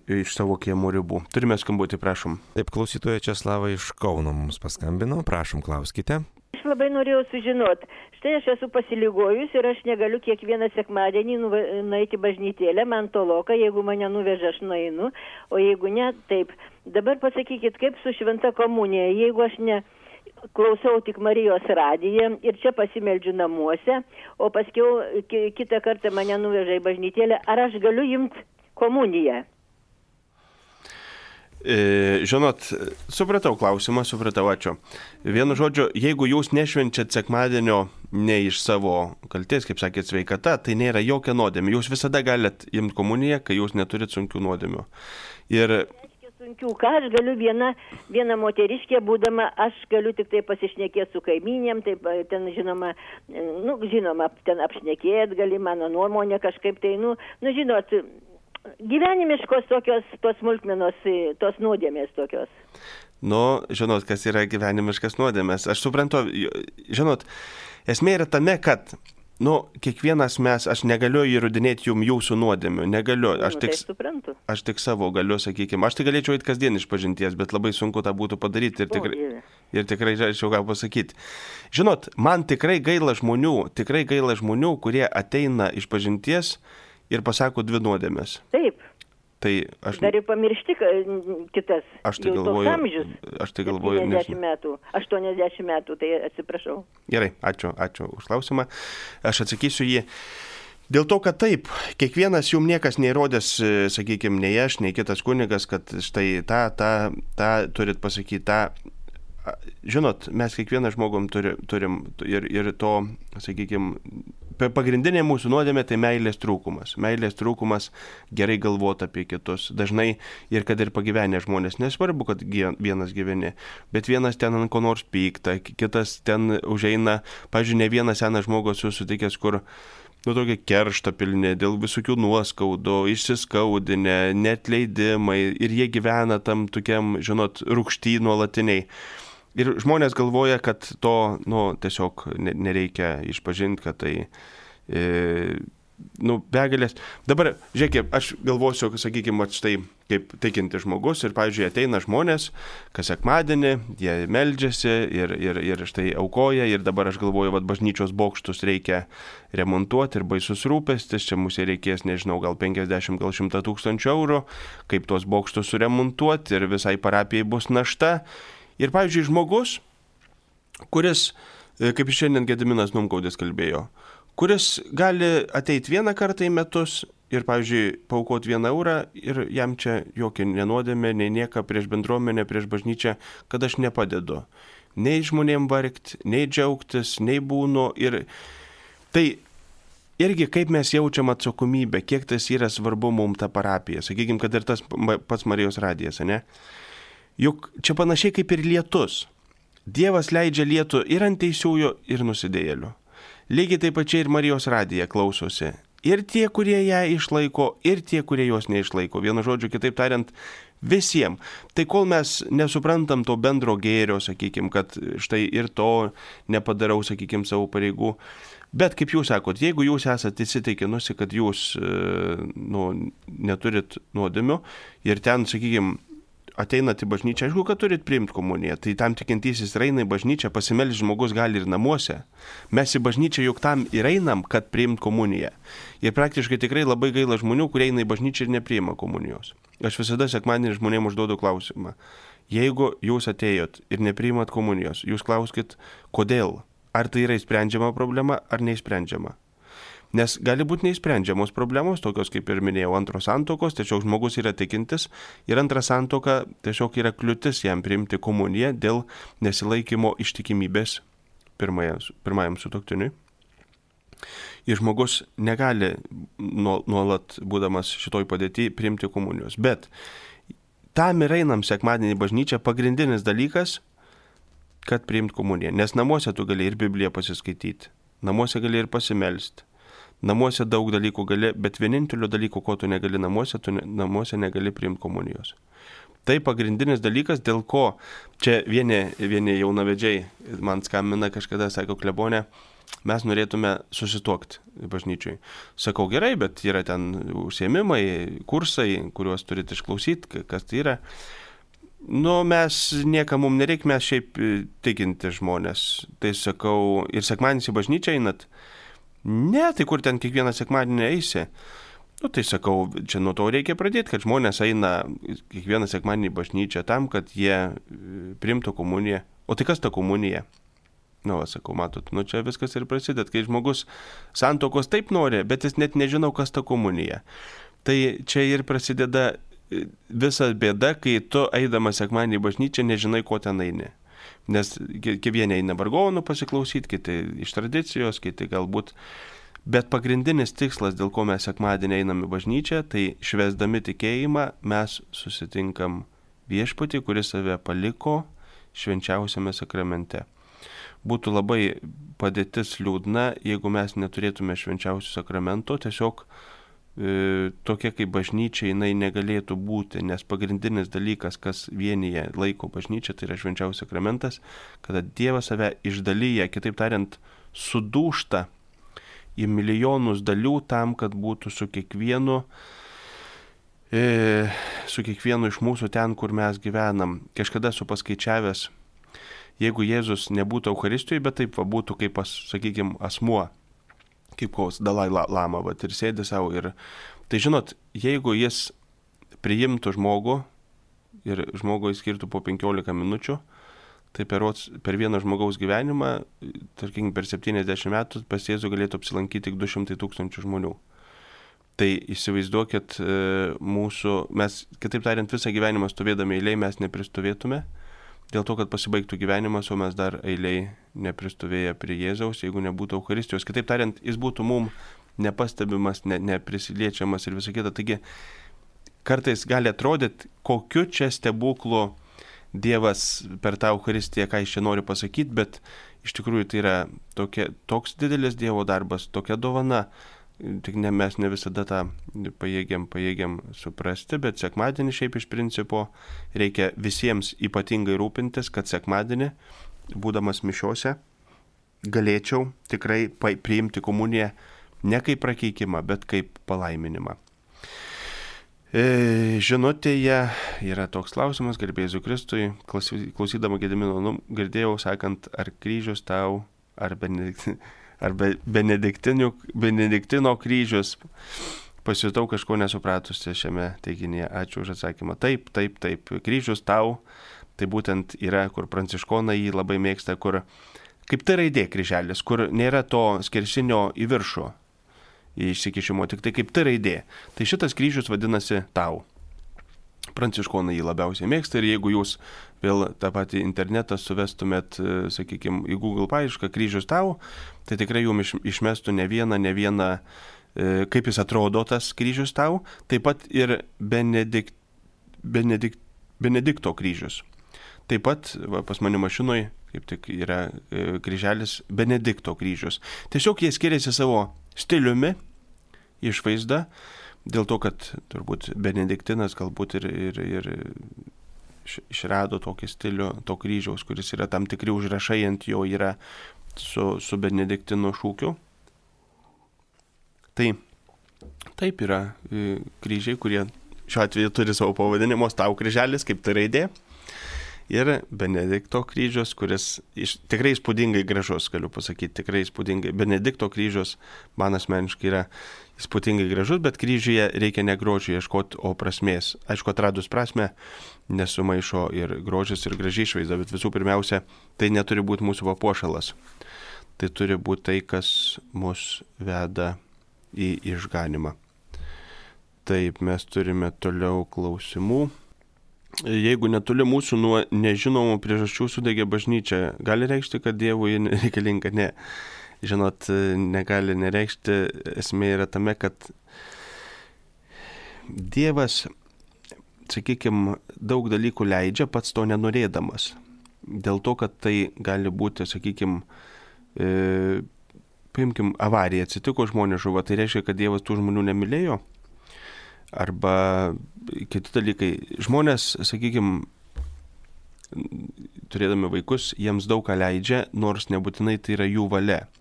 iš savo kiemo ribų. Turime skambutį, prašom. Taip, klausytoja Česlavą iš Kauno mums paskambino, prašom, klauskite. Aš labai norėjau sužinoti, štai aš esu pasiligojus ir aš negaliu kiekvieną sekmadienį nueiti bažnytėlę, man toloka, jeigu mane nuveža, aš nueinu, o jeigu ne, taip. Dabar pasakykit, kaip su šventa komunija, jeigu aš ne klausau tik Marijos radiją ir čia pasimeldžiu namuose, o paskiau kitą kartą mane nuveža į bažnytėlę, ar aš galiu imti komuniją? Žinot, supratau klausimą, ačiū. Vienu žodžiu, jeigu jūs nešvenčiat sekmadienio ne iš savo kaltės, kaip sakėt, sveikata, tai nėra jokia nuodėmė. Jūs visada galit imti komuniją, kai jūs neturit sunkių nuodėmių. Ir sunkių, ką aš galiu viena moteriškė būdama, aš galiu tik tai pasišnekėti su kaimynėm, taip ten žinoma, ten apšnekėti gali, mano nuomonė kažkaip tai, žinot, gyvenimiškos tokios, tos smulkmenos, tos nuodėmės tokios. Nu, žinot, kas yra gyvenimiškas nuodėmės. Aš suprantu, žinot, esmė yra tame, kad, kiekvienas aš negaliu įrodinėti jums jūsų nuodėmių, negaliu. Aš tik savo galiu, sakykime, aš tai galėčiau eiti kasdien iš pažinties, bet labai sunku tą būtų padaryti ir tikrai žinau ką pasakyti. Žinot, man tikrai gaila žmonių, kurie ateina iš pažinties ir pasako 2 nuodėmės. Taip. Tai aš... Dar ir pamiršti kitas. Aš tai galvoju. Aš tai galvoju. 80 metų, tai atsiprašau. Gerai, ačiū už klausimą. Aš atsakysiu jį. Dėl to, kad taip, kiekvienas jums niekas neįrodęs, sakykime, nei aš, nei kitas kunigas, kad štai tą turit pasakyti, tą. Žinot, mes kiekvieną žmogum turim ir to, sakykime, pagrindinė mūsų nuodėmė tai meilės trūkumas. Meilės trūkumas gerai galvoti apie kitus. Dažnai ir kad ir pagyvenę žmonės, nesvarbu, kad vienas gyveni, bet vienas ten ant ko nors pykta, kitas ten užeina, pavyzdžiui, ne vienas senas žmogus susitikęs, kur tokie keršto pilni, dėl visokių nuoskaudų, išsiskaudinę, neatleidimai ir jie gyvena tam tokiam, žinot, rūgšty nuolatiniai. Ir žmonės galvoja, kad to, tiesiog nereikia išpažinti, kad tai, begalės. Dabar, žiūrėkit, aš galvosiu, sakykime, štai kaip tikinti žmogus ir, pavyzdžiui, ateina žmonės, kas sekmadienį, jie meldžiasi ir štai aukoja ir dabar aš galvoju, bažnyčios bokštus reikia remontuoti ir baisus rūpestis, čia mūsų reikės, nežinau, gal 50, gal 100 tūkstančių eurų, kaip tuos bokštus suremontuoti ir visai parapijai bus našta. Ir, pavyzdžiui, žmogus, kuris, kaip šiandien Gediminas Numgaudis kalbėjo, kuris gali ateiti 1 kartą į metus ir, pavyzdžiui, paaukoti 1 eurą ir jam čia jokia nenuodėmė, nei nieka prieš bendruomenę, prieš bažnyčią, kad aš nepadedu. Nei žmonėm vargti, nei džiaugtis, nei būnu. Ir tai irgi kaip mes jaučiam atsakomybę, kiek tas yra svarbu mums ta parapija. Sakykime, kad ir tas pats Marijos radijas, ne? Juk čia panašiai kaip ir lietus. Dievas leidžia lietų ir ant teisiųjų, ir nusidėjėlių. Lygiai taip pačiai ir Marijos radija klausosi. Ir tie, kurie ją išlaiko, ir tie, kurie jos neišlaiko. Vienu žodžiu, kitaip tariant, visiems. Tai kol mes nesuprantam to bendro gėrio, sakykime, kad štai ir to nepadarau, sakykime, savo pareigų. Bet kaip jūs sakot, jeigu jūs esate įsitikinusi, kad jūs neturit nuodėmių ir ten, sakykime, ateinat į bažnyčią, aišku, kad turit priimti komuniją, tai tam tikintysis eina į bažnyčią, pasimelsti žmogus gali ir namuose. Mes į bažnyčią juk tam ir einam, kad priimt komuniją. Ir praktiškai tikrai labai gaila žmonių, kurie eina į bažnyčią ir nepriima komunijos. Aš visada sekmadienį žmonėms užduodu klausimą. Jeigu jūs atėjot ir nepriimat komunijos, jūs klauskit, kodėl? Ar tai yra įsprendžiama problema, ar neįsprendžiama? Nes gali būti neįsprendžiamos problemos, tokios kaip ir minėjau, antros santuokos, tiesiog žmogus yra tikintis ir antra santuoka tiesiog yra kliūtis jam priimti komuniją dėl nesilaikymo ištikimybės pirmajam sutuoktiniui. Ir žmogus negali nuolat, būdamas šitoj padėty, priimti komunijos. Bet tam ir einam sekmadienį į bažnyčią pagrindinis dalykas, kad priimt komuniją. Nes namuose tu gali ir Bibliją pasiskaityti, namuose gali ir pasimelsti. Namuose daug dalykų gali, bet vienintelio dalyko, ko tu negali namuose, tu namuose negali priimti komunijos. Tai pagrindinis dalykas, dėl ko čia vieni jaunavedžiai man skambina kažkada, sako, klebonė, mes norėtume susituokti bažnyčiui. Sakau, gerai, bet yra ten užsiėmimai, kursai, kuriuos turite išklausyti, kas tai yra. Mes niekam mums nereikia, mes šiaip tikinti žmonės. Tai sakau, ir sekmadienis į bažnyčią einat? Ne, tai kur ten kiekvieną sekmadienį eisi? Tai sakau, čia nuo to reikia pradėti, kad žmonės eina kiekvieną sekmadienį į bažnyčią tam, kad jie priimtų komuniją. O tai kas ta komunija? Sakau, matot, čia viskas ir prasideda, kai žmogus santuokos taip nori, bet jis net nežinau, kas ta komunija. Tai čia ir prasideda visa bėda, kai tu eidamas sekmadienį į bažnyčią nežinai, ko ten eini. Nes vieni eina vargonų pasiklausyti, kiti iš tradicijos, kiti galbūt. Bet pagrindinis tikslas, dėl ko mes sekmadienį einam į bažnyčią, tai švęsdami tikėjimą mes susitinkam viešpatį, kuris save paliko švenčiausiame sakramente. Būtų labai padėtis liūdna, jeigu mes neturėtume švenčiausio sakramento, tiesiog tokia kaip bažnyčia jinai negalėtų būti, nes pagrindinis dalykas, kas vienyje laiko bažnyčia, tai yra švenčiausias sakramentas, kada Dievas save išdalyja, kitaip tariant, sudūžta į milijonus dalių tam, kad būtų su kiekvienu iš mūsų ten, kur mes gyvenam. Kažkada esu paskaičiavęs, jeigu Jėzus nebūtų Eucharistijoje, bet taip būtų kaip, sakykime, asmuo, kaip koks Dalai Lama, ir sėdi savo. Ir tai žinot, jeigu jis priimtų žmogų ir žmogui skirtų po 15 minučių, tai per vieną žmogaus gyvenimą, tarkim, per 70 metų pas Jėzų galėtų apsilankyti tik 200 000 žmonių. Tai įsivaizduokit mes, kitaip tariant, visą gyvenimą stovėdami eiliai mes nepristovėtume, dėl to, kad pasibaigtų gyvenimas, o mes dar eiliai nepristovėję prie Jėzaus, jeigu nebūtų Eucharistijos. Kitaip tariant, jis būtų mum nepastebimas, neprisiliečiamas ir visą kitą. Taigi, kartais gali atrodyti, kokiu čia stebuklu Dievas per tą Eucharistiją, ką jis čia nori pasakyti, bet iš tikrųjų tai yra toks didelis Dievo darbas, tokia dovana, tik mes ne visada tą pajėgiam suprasti, bet sekmadienį šiaip iš principo reikia visiems ypatingai rūpintis, kad sekmadienį, būdamas mišiose, galėčiau tikrai priimti komuniją ne kaip prakeikimą, bet kaip palaiminimą. Žinutėje yra toks klausimas, garbėjai Jėzui Kristui, klausydama Gedimino, girdėjau sakant, ar kryžius tau, ar Benediktino kryžius, pasijutau kažko nesupratusi šiame teiginyje. Ačiū už atsakymą. Taip, kryžius tau, tai būtent yra, kur pranciškonai jį labai mėgsta, kur kaip tai raidė kryželis, kur nėra to skersinio į viršų išsikišimo, tik tai kaip tai raidė. Tai šitas kryžius vadinasi tau. Pranciškonai jį labiausiai mėgsta ir jeigu jūs vėl tą patį internetą suvestumėt, sakykime, į Google paiešką kryžius tau, tai tikrai jums išmestų ne vieną, kaip jis atrodo tas kryžius tau, taip pat ir Benedikto kryžius. Taip pat pas mane mašinoje kaip tik yra kryželis Benedikto kryžius. Tiesiog jie skiriasi savo stiliumi, išvaizda, dėl to, kad turbūt Benediktinas galbūt ir išrado tokį stilių to kryžiaus, kuris yra tam tikri užrašai ant jo yra su Benediktino šūkiu. Tai taip yra kryžiai, kurie šiuo atveju turi savo pavadinimo tau kryželis, kaip tai raidė. Ir Benedikto kryžius, kuris tikrai įspūdingai gražus, galiu pasakyti, tikrai įspūdingai. Benedikto kryžius man asmeniškai yra įspūdingai gražus, bet kryžiuje reikia ne grožio ieškoti, o prasmės. Aišku, atradus prasmę, nesumaišo ir grožis, ir graži išvaizda, bet visų pirmiausia, tai neturi būti mūsų papuošalas. Tai turi būti tai, kas mus veda į išganimą. Taip, mes turime toliau klausimų. Jeigu netoli mūsų nuo nežinomų priežasčių sudegė bažnyčia, gali reikšti, kad Dievui reikalinga? Ne. Žinot, negali nereikšti. Esmė yra tame, kad Dievas, sakykime, daug dalykų leidžia pats to nenorėdamas. Dėl to, kad tai gali būti, sakykime, paimkim, avarija atsitiko, žmonės žuvo, tai reiškia, kad Dievas tų žmonių nemylėjo. Arba kiti dalykai. Žmonės, sakykime, turėdami vaikus, jiems daug ką leidžia, nors nebūtinai tai yra jų valia.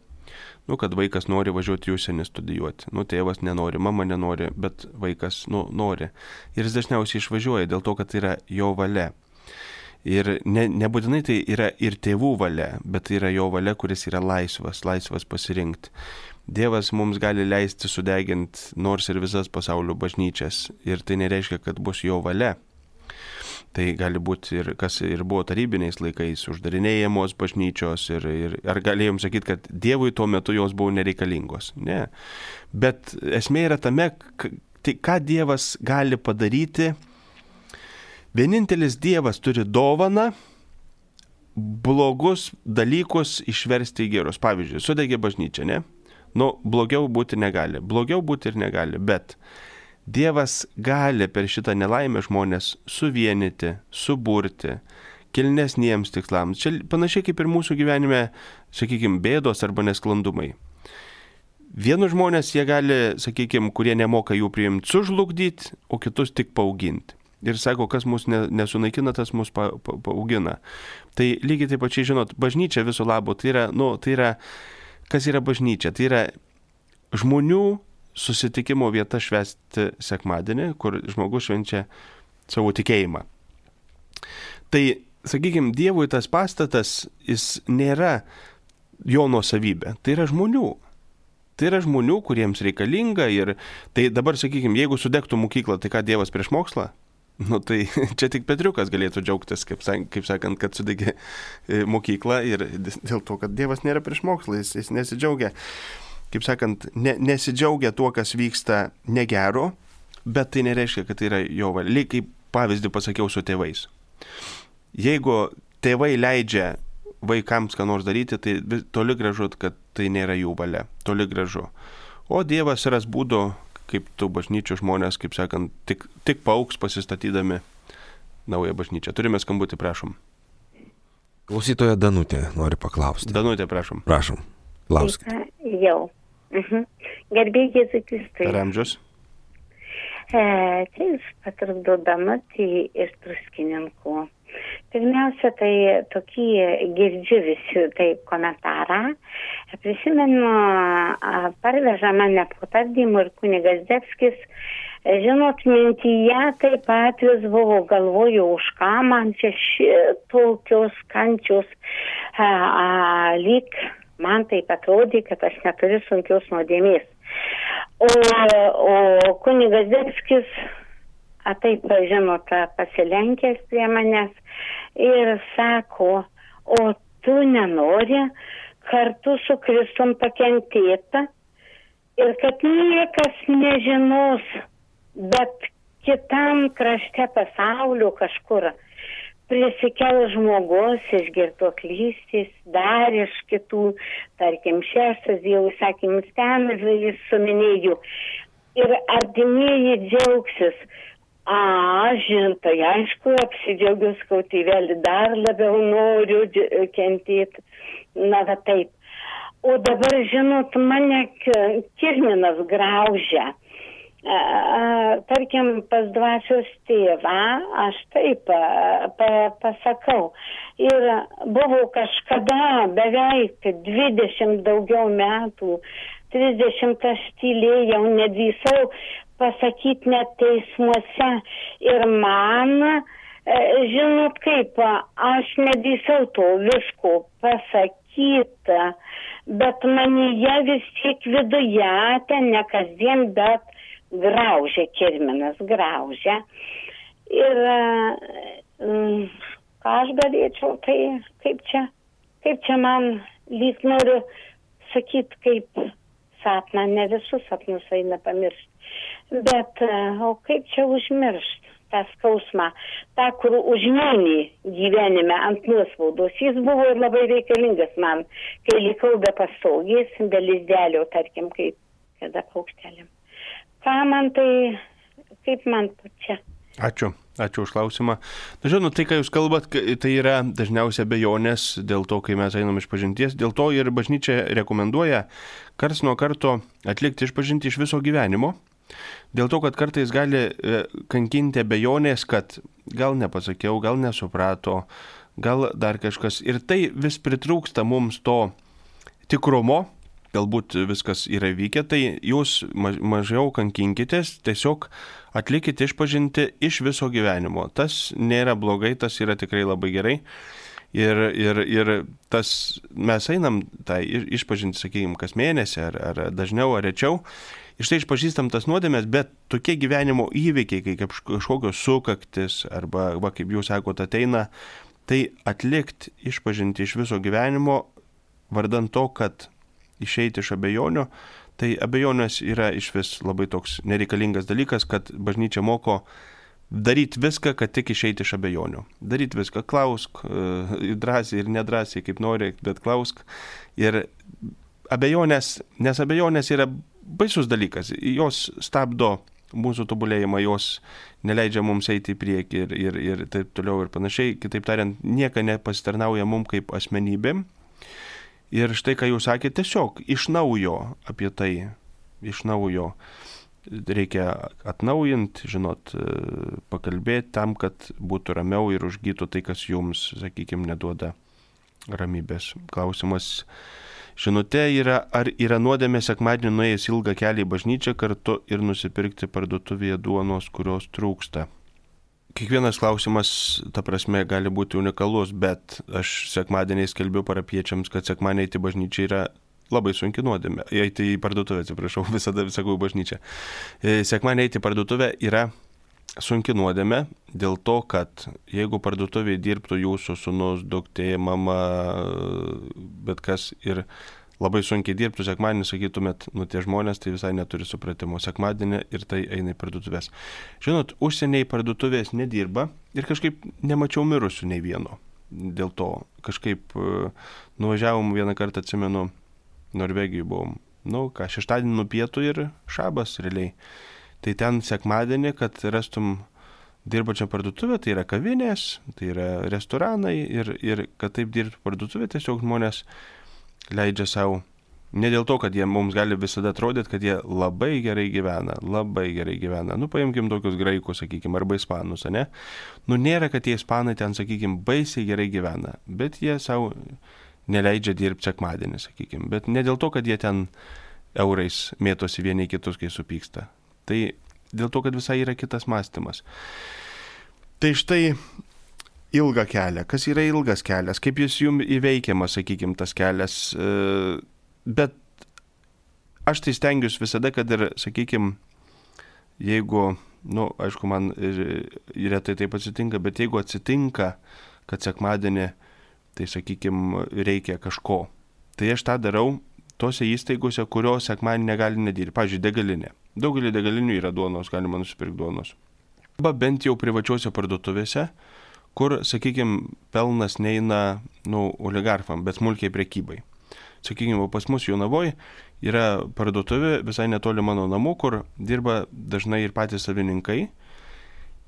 Kad vaikas nori važiuoti į užsienį studijuoti. Tėvas nenori, mama nenori, bet vaikas nori. Ir jis dažniausiai išvažiuoja dėl to, kad tai yra jo valia. Ir nebūtinai tai yra ir tėvų valia, bet tai yra jo valia, kuris yra laisvas pasirinkti. Dievas mums gali leisti sudeginti nors ir visas pasaulio bažnyčias. Ir tai nereiškia, kad bus jo valia. Tai gali būti ir kas ir buvo tarybiniais laikais, uždarinėjamos bažnyčios. Ar galėjom sakyti, kad Dievui tuo metu jos buvo nereikalingos? Ne. Bet esmė yra tame, ką Dievas gali padaryti. Vienintelis Dievas turi dovaną blogus dalykus išversti į gerus. Pavyzdžiui, sudegė bažnyčia, ne? Blogiau būti negali. Blogiau būti ir negali, bet Dievas gali per šitą nelaimę žmonės suvienyti, suburti, kilnesniems tikslams. Čia panašiai kaip ir mūsų gyvenime, sakykime, bėdos arba nesklandumai. Vienus žmonės jie gali, sakykime, kurie nemoka jų priimti, sužlugdyti, o kitus tik paauginti. Ir sako, kas mus nesunaikina, tas mus paaugina. Tai lygiai taip pačiai, žinot, bažnyčia viso labo, tai yra, kas yra bažnyčia? Tai yra žmonių susitikimo vieta švęsti sekmadienį, kur žmogus švenčia savo tikėjimą. Tai, sakykime, Dievui tas pastatas, jis nėra jo nuosavybė, tai yra žmonių. Tai yra žmonių, kuriems reikalinga ir tai dabar, sakykime, jeigu sudegtų mokykla, tai ką Dievas prieš mokslą? Tai čia tik Petriukas galėtų džiaugtis, kaip sakant, kad sudegė mokyklą ir dėl to, kad Dievas nėra prieš mokslą, jis nesidžiaugia. Kaip sakant, nesidžiaugia tuo, kas vyksta negero, bet tai nereiškia, kad tai yra jo valia. Lyg kaip pavyzdį pasakiau su tėvais. Jeigu tėvai leidžia vaikams ką nors daryti, tai toli gražu, kad tai nėra jų valia. Toli gražu. O Dievas ras būdų, kaip tų bažnyčių žmonės, kaip sakant, tik paaugs pasistatydami naują bažnyčią. Turime skambutį, prašom. Klausytoja Danutė nori paklausti. Danutė, prašom. Prašom, klauskite. Jau. Garbė Jėzui Kristui. Per amžius? Čia jūs patrukdodama tai iš Druskininkų. Pirmiausia, tai tokį girdžiu visi taip komentarą. Prisimenu, parveža mane po tardymų ir kunigas Zdebskis. Žinot, mintyje taip pat vis buvo, galvoju, už ką man čia tokios kančios, lyg man taip atrodė, kad aš neturiu sunkios nuodėmės. O kunigas Zdebskis, taip, žinot, pasilenkęs prie manęs ir sako, o tu nenori kartu su Kristum pakentėti ir kad niekas nežinos, bet kitam krašte pasaulio kažkur prisikel žmogus iš girtuoklystės, dar iš kitų, tarkim, šeštas Dievo įsakymus ten jis suminėjo. Ir artimieji džiaugsis. Žintai, aišku, apsidžiaugiu skautėvelį, dar labiau noriu kentėti. Na, va taip. O dabar, žinot, mane kirminas graužia. Tarkim, pas dvasios tėvą, aš taip pasakau. Ir buvo kažkada beveik 20 daugiau metų, 30 aš tylėjau, nedrįsau pasakyti net teismuose. Ir man, žinot kaip, aš nedrįsau to visko pasakyti, bet manyje vis tiek viduje, ten ne kasdien, bet graužia, kirminas graužia. Ir ką aš galėčiau, tai kaip čia man lyg noriu sakyti, kaip sapną, ne visus sapnus eina pamiršti. Bet, o kaip čia užmiršti tą skausmą, tą, kur užmynį gyvenime ant nuospaudos. Jis buvo ir labai reikalingas man, kai likau be pastogės, be lizdelio, tarkim, kaip kada paukštelėm. Ką man tai, kaip man čia? Ačiū už klausimą. Žinau, tai, ką jūs kalbat, tai yra dažniausiai abejonės dėl to, kai mes einam išpažinties. Dėl to ir bažnyčia rekomenduoja karts nuo karto atlikti išpažintį iš viso gyvenimo. Dėl to, kad kartais gali kankinti abejonės, kad gal nepasakiau, gal nesuprato, gal dar kažkas. Ir tai vis pritrūksta mums to tikrumo. Galbūt viskas yra vykę, tai jūs mažiau kankinkitės, tiesiog atlikite išpažinti iš viso gyvenimo. Tas nėra blogai, tas yra tikrai labai gerai. Ir tas mes einam tai išpažinti, sakykime, kas mėnesį, ar dažniau, ar rečiau. Iš tai išpažįstam tas nuodėmės, bet tokie gyvenimo įvykiai, kaip kažkokios sukaktis, arba, kaip jūs sakote, ateina, tai atlikti išpažinti iš viso gyvenimo, vardan to, kad išeiti iš abejonių, tai abejonės yra iš vis labai toks nereikalingas dalykas, kad bažnyčia moko daryti viską, kad tik išeiti iš abejonių. Daryti viską, klausk, drąsiai ir nedrąsiai, kaip nori, bet klausk. Ir abejonės, nes abejonės yra baisus dalykas, jos stabdo mūsų tobulėjimą, jos neleidžia mums eiti į priekį ir taip toliau ir panašiai. Kitaip tariant, nieka nepasitarnauja mums kaip asmenybėm. Ir štai, ką jūs sakėte, tiesiog iš naujo apie tai, iš naujo reikia atnaujinti, pakalbėti tam, kad būtų ramiau ir užgytų tai, kas jums, sakykime, neduoda ramybės. Klausimas žinutė yra, ar yra nuodėmė sekmadienį nuėjęs ilgą kelią į bažnyčią kartu ir nusipirkti parduotuvėje duonos, kurios trūksta. Kiekvienas klausimas, ta prasme, gali būti unikalus, bet aš sekmadieniais skelbiu parapiečiams, kad sekmadienį eiti į bažnyčią yra labai sunki nuodėmė. Eiti į parduotuvę, atsiprašau, visada sakau bažnyčią. Sekmadienį eiti į parduotuvę yra sunki nuodėmė dėl to, kad jeigu parduotuvėje dirbtų jūsų sūnus, duktė, mama, bet kas ir labai sunkiai dirbtų sekmadienį, sakytumėt, tie žmonės tai visai neturi supratimo sekmadienį ir tai eina į parduotuvės. Žinot, užsieniai parduotuvės nedirba ir kažkaip nemačiau mirusių nei vieno. Dėl to kažkaip nuvažiavom vieną kartą, atsimenu, Norvegijoje buvom. Šeštadienį nuo pietų ir šabas realiai. Tai ten sekmadienį, kad rastum dirbačią parduotuvę, tai yra kavinės, tai yra restoranai ir kad taip dirbtų parduotuvė, tiesiog žmonės leidžia savo, ne dėl to, kad jie mums gali visada atrodyti, kad jie labai gerai gyvena. Paimkim tokius graikus, sakykime, arba ispanus, ne? Nėra, kad tie ispanai ten, sakykime, baisiai gerai gyvena, bet jie savo neleidžia dirbti sekmadienį, sakykime, bet ne dėl to, kad jie ten eurais mėtosi vieni kitus, kai supyksta. Tai dėl to, kad visai yra kitas mąstymas. Tai štai ilgą kelią. Kas yra ilgas kelias? Kaip jis jums įveikiamas, sakykime, tas kelias? Bet aš tai stengiuosi visada, kad ir, sakykime, jeigu, aišku, man retai taip atsitinka, bet jeigu atsitinka, kad sekmadienį, tai, sakykime, reikia kažko, tai aš tą darau tose įstaigose, kurios sekmadienį negali nedirbti. Pavyzdžiui, degalinė. Daugelį degalinių yra duonos, galima nusipirkti duonos. Arba bent jau privačiuose parduotuvėse, kur, sakykime, pelnas neina, oligarcham, bet smulkiai prekybai. Sakykime, pas mus Jonavoje yra parduotuvė visai netoli mano namų, kur dirba dažnai ir patys savininkai.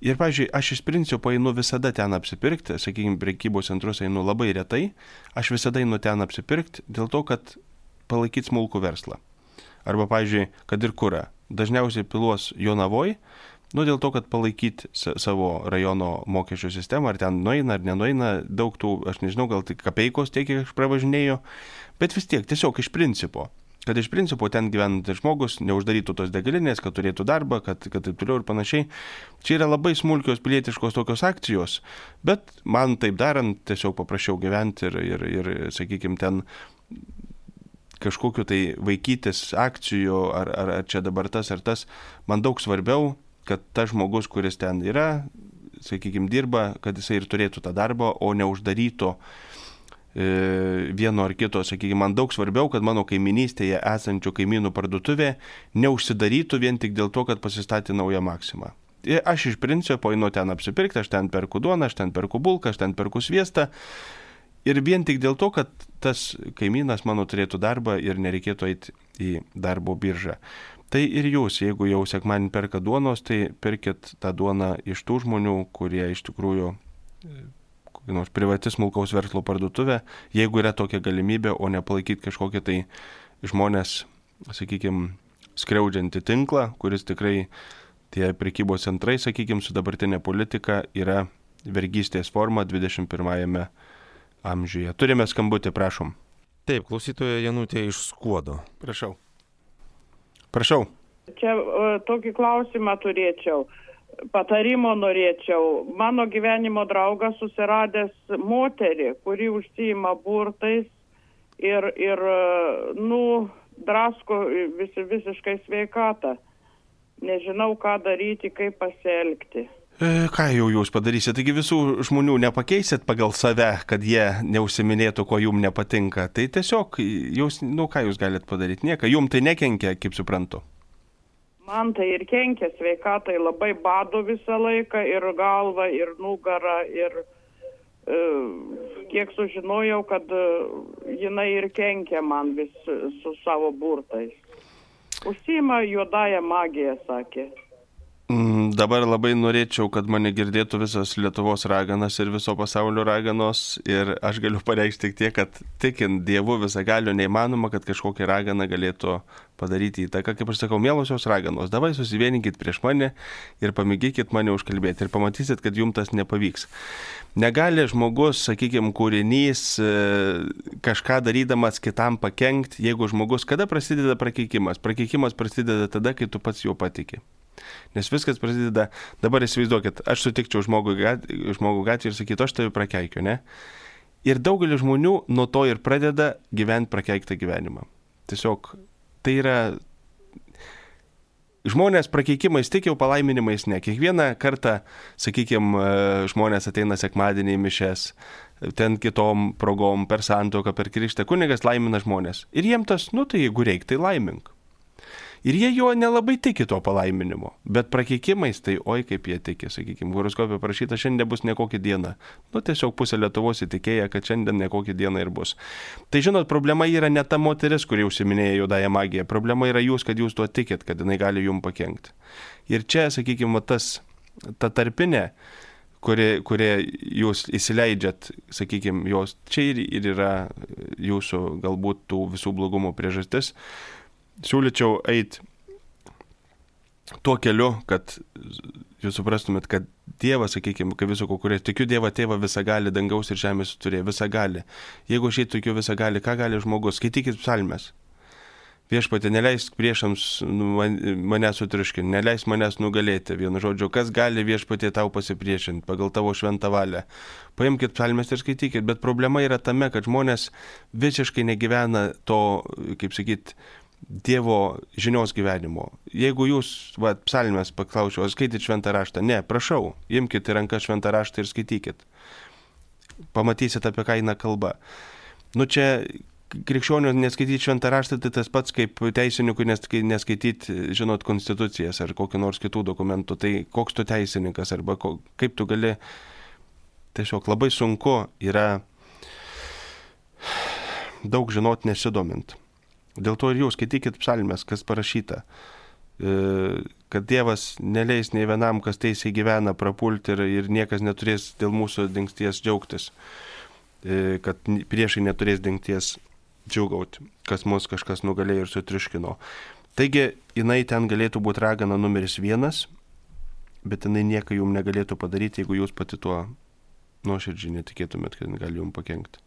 Ir, pavyzdžiui, aš iš principo einu visada ten apsipirkti, sakykime, prekybos centruose einu labai retai, aš visada einu ten apsipirkti dėl to, kad palaikyti smulkų verslą. Arba, pavyzdžiui, kad ir kurą. Dažniausiai piluos Jonavoj, dėl to, kad palaikyti savo rajono mokesčių sistemą, ar ten nueina, ar nenueina, daug tų, aš nežinau, gal tik kapeikos tiek, kiek aš pravažinėjau, bet vis tiek, tiesiog iš principo. Kad iš principo ten gyvenantis žmogus neuždarytų tos degalinės, kad turėtų darbą, kad taip toliau ir panašiai. Čia yra labai smulkios pilietiškos tokios akcijos, bet man taip darant tiesiog paprašiau gyventi ir sakykime, ten kažkokiu tai vaikytis akcijų, ar čia dabar tas ar tas, man daug svarbiau, kad tas žmogus, kuris ten yra, sakykime, dirba, kad jisai ir turėtų tą darbą, o neuždarytų vieno ar kito, sakykime, man daug svarbiau, kad mano kaiminystėje esančių kaimynų parduotuvė neužsidarytų vien tik dėl to, kad pasistatė naują Maksimą. Aš iš principo einu ten apsipirkti, aš ten perku duoną, aš ten perku bulką, aš ten perku sviestą ir vien tik dėl to, kad tas kaimynas mano turėtų darbą ir nereikėtų eiti į darbo biržą. Tai ir jūs, jeigu jau sekmadienį perka duonos, tai pirkit tą duoną iš tų žmonių, kurie iš tikrųjų nors privati smulkaus verslo parduotuvė, jeigu yra tokia galimybė, o nepalaikyti kažkokią tai žmonės, sakykime, skriaudžiantį tinklą, kuris tikrai tie prekybos centrai, sakykime, su dabartinė politika yra vergystės forma 21 amžiuje. Turime skambutį, prašom. Taip, klausytoja Janutė iš Skuodo. Prašau. Čia tokį klausimą turėčiau. Patarimo norėčiau. Mano gyvenimo draugas susiradęs moterį, kuri užsiima burtais ir drasko visiškai sveikatą. Nežinau, ką daryti, kaip pasielgti. Ką jau jūs padarysite? Taigi visų žmonių nepakeisit pagal save, kad jie neužsiminėtų, ko jums nepatinka. Tai tiesiog, jūs, ką jūs galite padaryti? Nieko. Jums tai nekenkia, kaip suprantu. Man tai ir kenkia sveikatai, labai bado visą laiką, ir galva, ir nugarą, ir kiek sužinojau, kad jinai ir kenkia man vis su savo burtais. Užsiima juodąją magiją, sakė. Dabar labai norėčiau, kad mane girdėtų visas Lietuvos raganas ir viso pasaulio raganos ir aš galiu pareikšti tik tiek, kad tikint Dievu visagalio neįmanoma, kad kažkokia ragana galėtų padaryti įtaką. Kaip aš sakau, mielosios raganos, davai susivieninkit prieš mane ir pamėgykit mane užkalbėti ir pamatysit, kad jums tas nepavyks. Negali žmogus, sakykime, kūrinys kažką darydamas kitam pakenkti, jeigu žmogus, kada prasideda prakeikimas? Prakeikimas prasideda tada, kai tu pats juo patiki. Nes viskas prasideda, dabar įsivaizduokit, aš sutikčiau žmogų gatvį ir sakytų, aš tave prakeikiu, ne? Ir daugelis žmonių nuo to ir pradeda gyventi prakeiktą gyvenimą. Tiesiog tai yra, žmonės prakeikimais tik jau palaiminimais ne. Kiekvieną kartą, sakykime, žmonės ateina sekmadienį į mišes, ten kitom progom, per santuoką, per krikštą, kunigas laimina žmonės. Ir jiem tas, tai jeigu reik, tai laimink. Ir jie jo nelabai tiki to palaiminimo, bet prakeikimais tai oi kaip jie tiki, sakykime, horoskopė parašyta, šiandien bus nekokia diena. Tiesiog pusė Lietuvos įtikėja, kad šiandien nekokia diena ir bus. Tai žinot, problema yra ne ta moteris, kuri užsiminėja juodąją magiją, problema yra jūs, kad jūs tuo tikit, kad jinai gali jums pakenkti. Ir čia, sakykime, ta tarpinė, kurie jūs įsileidžiat, sakykime, jos čia ir yra jūsų galbūt tų visų blogumo priežastis. Siūlyčiau eiti tuo keliu, kad jūs suprastumėt, kad Dievas, sakykime, kaip viso kurie tikiu Dievą tėvą visagali, dangaus ir žemės turėjo, visagali. Jeigu aš tikiu visagali, ką gali žmogus? Skaitykit psalmes. Viešpatie, neleisk priešams mane sutriuškinti, neleisk manęs nugalėti. Vienu žodžiu, kas gali viešpatie tau pasipriešinti pagal tavo šventą valią. Paimkit psalmes ir skaitykit, bet problema yra tame, kad žmonės visiškai negyvena to, kaip sakyt, Dievo žinios gyvenimo. Jeigu jūs, psalmės paklausiu, ar skaityt šventą raštą? Ne, prašau, imkite į ranką šventą raštą ir skaitykit. Pamatysit, apie ką eina kalba. Čia krikščionių neskaityti šventą raštą, tai tas pats kaip teisininkui neskaityti, žinot, konstitucijas ar kokį nors kitų dokumentų. Tai koks tu teisininkas arba kaip tu gali, tiesiog labai sunku yra daug žinot nesidomint. Dėl to ir jūs skaitykit psalmes, kas parašyta, kad Dievas neleis nei vienam, kas teisiai gyvena, prapulti ir niekas neturės dėl mūsų dingsties džiaugtis, kad priešai neturės dingsties džiūgauti, kas mus kažkas nugalėjo ir sutriuškino. Taigi, jinai ten galėtų būti ragana numeris 1, bet jinai nieko jums negalėtų padaryti, jeigu jūs pati tuo nuoširdžiai netikėtumėt, kad gali jums pakenkti.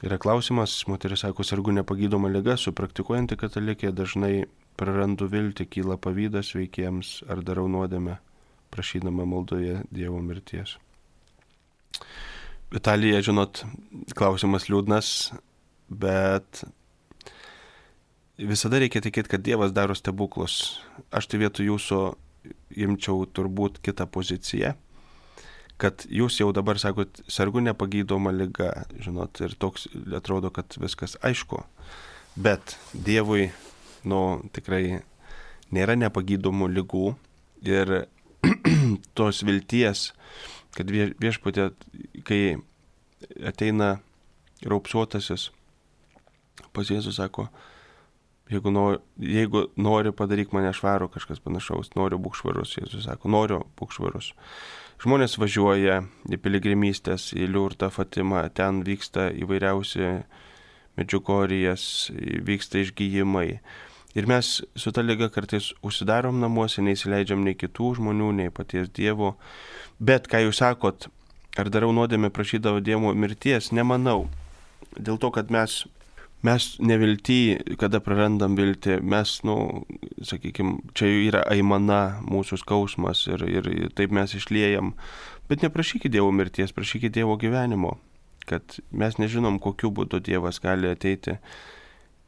Yra klausimas, moteris sako, sergu nepagydoma liga, supraktikuojanti katalikė, dažnai prarandu viltį, kyla pavydas veikiems ar darau nuodėmę, prašydama maldoje Dievo mirties. Vitalija, žinot, klausimas liūdnas, bet visada reikia tikėti, kad Dievas daro stebuklus. Aš tai vietoj jūsų imčiau turbūt kitą poziciją, kad jūs jau dabar sakot, sergu nepagydoma liga, žinot, ir toks atrodo, kad viskas aišku, bet Dievui, tikrai nėra nepagydomų ligų ir tos vilties, kad viešpatė, kai ateina raupsuotasis, pas Jėzus sako, jeigu nori padaryk mane švarų, kažkas panašaus, noriu būk švarus, Jėzus sako, noriu būk švarus. Žmonės važiuoja į piligrimystės, į Liurdą, Fatimą, ten vyksta įvairiausi medžiugorijas, vyksta išgyjimai. Ir mes su ta liga kartais užsidarom namuose, neįsileidžiam nei kitų žmonių, nei paties Dievo. Bet, ką jūs sakot, ar darau nuodėmę prašydavo Dievo mirties, nemanau. Dėl to, kad mes nevilty, kada prarandam viltį, mes, sakykime, čia yra aimana, mūsų skausmas ir taip mes išliejam. Bet neprašykit Dievo mirties, prašykit Dievo gyvenimo, kad mes nežinom, kokiu būdu Dievas gali ateiti.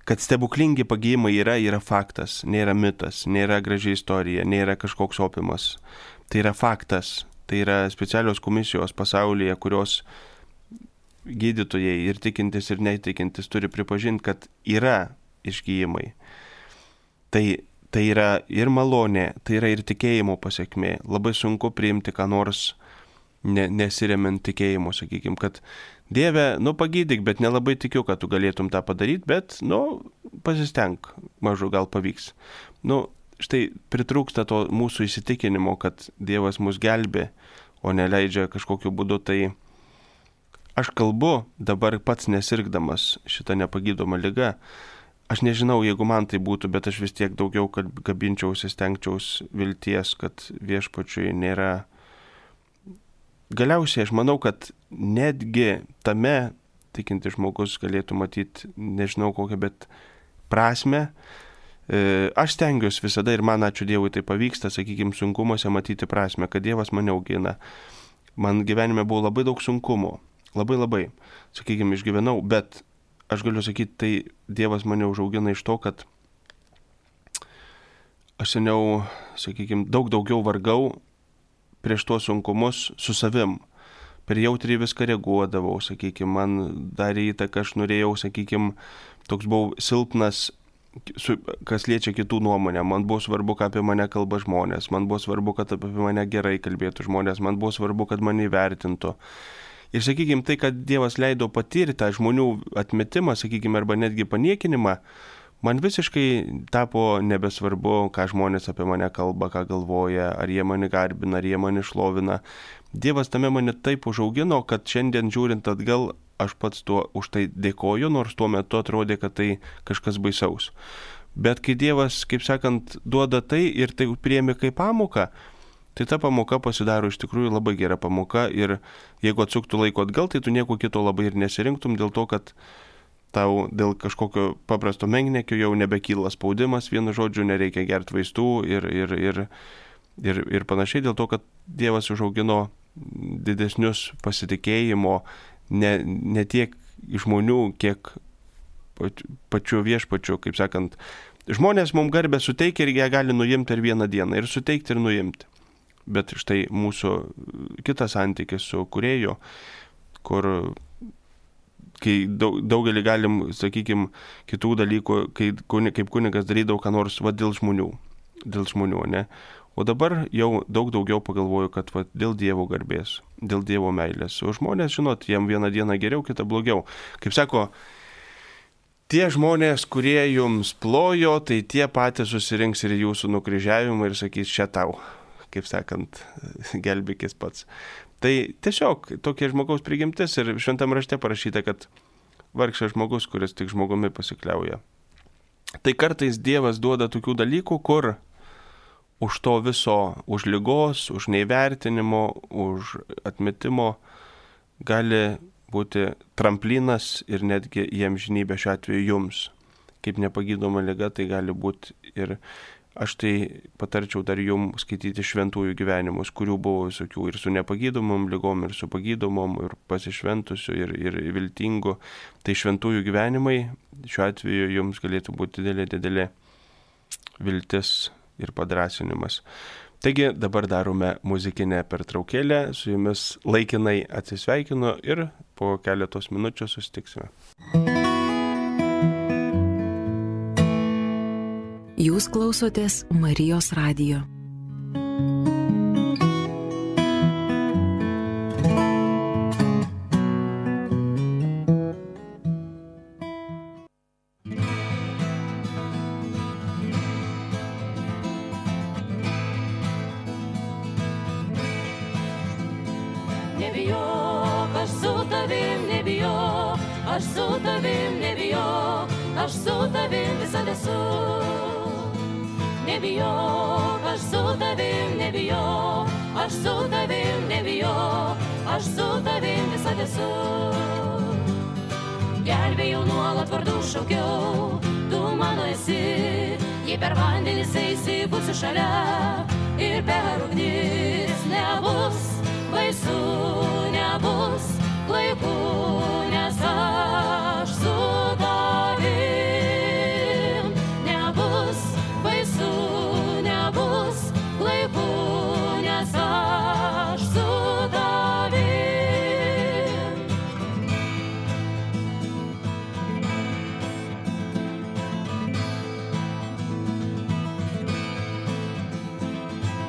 Kad stebuklingi pagijimai yra faktas, nėra mitas, nėra graži istorija, nėra kažkoks opimas. Tai yra faktas, tai yra specialios komisijos pasaulyje, kurios gydytojai ir tikintis ir netikintis turi pripažinti, kad yra išgyjimai. Tai yra ir malonė, tai yra ir tikėjimo pasiekmė. Labai sunku priimti ką nors nesiremiant tikėjimu, sakykime, kad Dieve, pagydyk, bet nelabai tikiu, kad tu galėtum tą padaryti, bet, pasistenk, mažu gal pavyks. štai pritrūksta to mūsų įsitikinimo, kad Dievas mus gelbė, o neleidžia kažkokiu būdu, tai aš kalbu dabar pats nesirgdamas šitą nepagydomą ligą. Aš nežinau, jeigu man tai būtų, bet aš vis tiek daugiau kabinčiausi, stengčiaus vilties, kad viešpačiui nėra. Galiausiai aš manau, kad netgi tame tikinti žmogus galėtų matyti, nežinau kokią, bet prasme. Aš stengiuosi visada ir man, ačiū Dievui, tai pavyksta, sakykime, sunkumuose matyti prasme, kad Dievas mane augina. Man gyvenime buvo labai daug sunkumų, labai, sakykime, išgyvenau, bet aš galiu sakyti, tai Dievas mane užaugina iš to, kad aš seniau, sakykime, daug daugiau vargau prieš tuos sunkumus su savim. Per jautriai viską reaguodavau, sakykime, man darė įtaką, aš norėjau, sakykime, toks buvau silpnas, kas liečia kitų nuomonę. Man buvo svarbu, ką apie mane kalba žmonės, man buvo svarbu, kad apie mane gerai kalbėtų žmonės, man buvo svarbu, kad mane įvertintų. Ir, sakykime, tai, kad Dievas leido patirti tą žmonių atmetimą, sakykime, arba netgi paniekinimą, man visiškai tapo nebesvarbu, ką žmonės apie mane kalba, ką galvoja, ar jie mane garbina, ar jie mane šlovina. Dievas tame mane taip užaugino, kad šiandien žiūrint atgal, aš pats už tai dėkoju, nors tuo metu atrodė, kad tai kažkas baisaus. Bet kai Dievas, kaip sakant, duoda tai ir tai priėmė kaip pamoką, tai ta pamoka pasidaro iš tikrųjų labai gera pamoka ir jeigu atsuktų laiko atgal, tai tu nieko kito labai ir nesirinktum dėl to, kad tau dėl kažkokio paprasto menkniekio jau nebekyla spaudimas, vienu žodžiu, nereikia gerti vaistų ir panašiai dėl to, kad Dievas užaugino didesnius pasitikėjimo ne tiek žmonių, kiek pačių viešpačių, kaip sakant. Žmonės mums garbę suteikia ir ją gali nuimti per vieną dieną ir suteikti ir nuimti. Bet štai mūsų kitas santykis su kūrėju, kur kai daugelį galim, sakykime, kitų dalykų, kaip kunigas darydavo ką nors dėl žmonių, ne? O dabar jau daug daugiau pagalvoju, kad dėl Dievo garbės, dėl Dievo meilės. O žmonės, žinot, jiem vieną dieną geriau, kitą blogiau. Kaip sako, tie žmonės, kurie jums plojo, tai tie patys susirinks ir jūsų nukryžiavimą ir sakys, čia tau, kaip sakant, gelbėkis pats. Tai tiesiog tokie žmogaus prigimtis ir šventam rašte parašyta, kad vargšas žmogus, kuris tik žmogumi pasikliauja. Tai kartais Dievas duoda tokių dalykų, kur už to viso, už ligos, už neįvertinimo, už atmetimo gali būti tramplinas ir netgi į amžinybę šiuo atveju jums. Kaip nepagydoma liga, tai gali būti ir aš tai patarčiau dar jums skaityti šventųjų gyvenimus, kurių buvo visokių ir su nepagydomom ligom, ir su pagydomom, ir pasišventusių, ir viltingų. Tai šventųjų gyvenimai šiuo atveju jums galėtų būti didelė viltis ir padrąsinimas. Taigi dabar darome muzikinę pertraukėlę, su jumis laikinai atsisveikinu ir po keletos minučių susitiksime. Jūs klausotės Marijos radijo. Nebijok, aš su tavim, nebijok, aš su tavim, nebijok, aš su tavim visada esu. Nebijok, aš su tavim, nebijok, aš su tavim, nebijok, aš su tavim visada esu. Gelbėjau nuolat vardu šaukiau, tu mano esi, jei per vandenis eisi, būsiu šalia, ir per ugnis nebus baisu, nebus klaiku, nes aš su tavim. Nebus baisu, nebus klaiku, nes aš su tavim.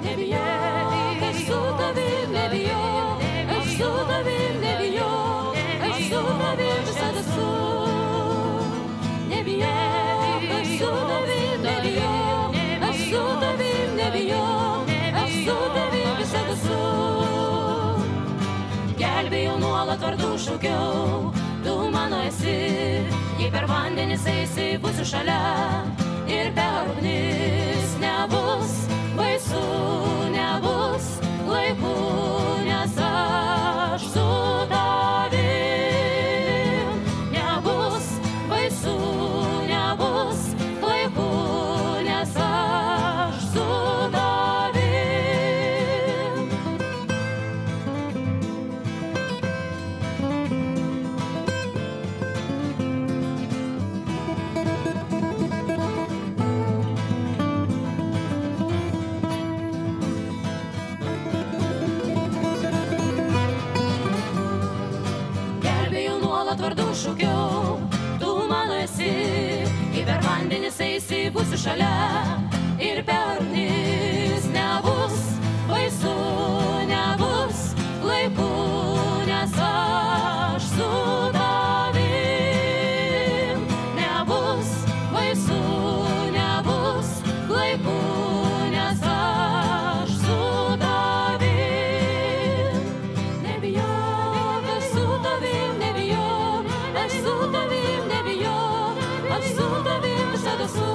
Nebijok, aš su tavim, nebijok, aš su tavim, nebijok, aš šaukiau, tu mano esi, jei per vandenis eisi, būsiu šalia ir per ugnis nebus baisu, nebus laiku, nes aš su tavim. Nebus baisu, nebus laiku, nes aš su tavim. Vardu šaukiau, tu mano esi, jei per vandenis eisi, būsiu šalia ir per ugnis nebus baisu, nebus laiku, nes aš su tavim. Nebus baisu, nebus laiku, nes aš su tavim. Nebijok, aš su tavim, nebijok, aš su tavim, nebijok, aš su tavim visada esu.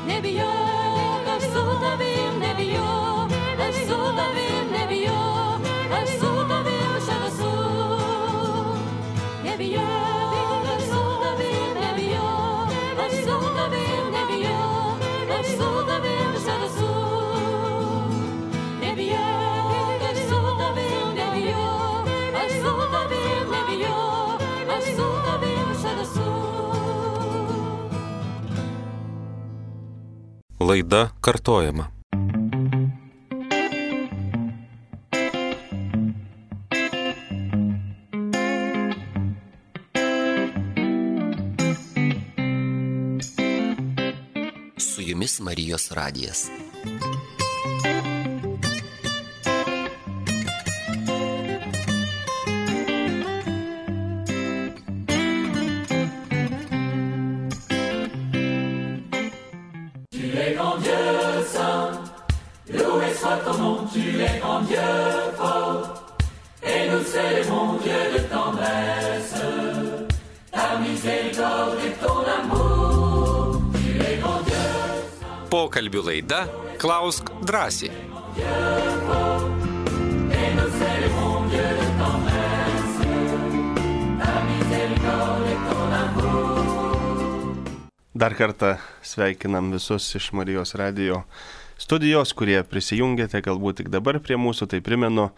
Nebijok, aš su tavim, nebijok, aš su tavim, nebijok, aš su tavim visada esu. Nebijok, aš su tavim, nebijok, aš su tavim, nebijok, aš su tavim visada esu. Nebijok, aš su tavim, nebijok, aš su tavim, nebijok, aš su tavim visada esu. Laida kartojama. Su jumis Marijos radijas. Pokalbių laida Klausk drąsiai. Dar kartą sveikinam visus iš Marijos radijo studijos, kurie prisijungėte galbūt tik dabar prie mūsų. Tai primenu,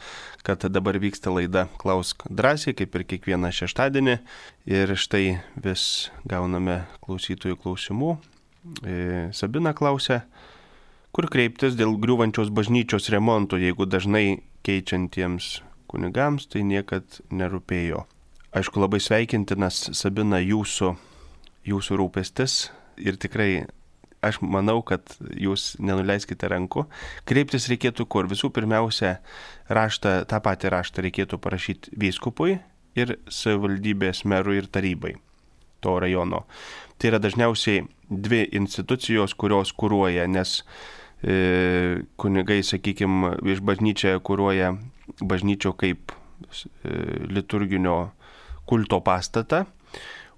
kad dabar vyksta laida Klausk drąsiai, kaip ir kiekvieną šeštadienį. Ir štai vis gauname klausytojų klausimų. Sabina klausia, kur kreiptis dėl griūvančios bažnyčios remonto, jeigu dažnai keičiantiems kunigams tai niekad nerūpėjo. Aišku, labai sveikintinas, Sabina, jūsų rūpestis ir tikrai aš manau, kad jūs nenuleiskite rankų. Kreiptis reikėtų kur? Visų pirmiausia, tą patį raštą reikėtų parašyti vyskupui ir savivaldybės merui ir tarybai to rajono. Tai yra dažniausiai dvi institucijos, kurios kuruoja, nes kunigai, sakykime, iš bažnyčią kuruoja bažnyčio kaip liturginio kulto pastatą,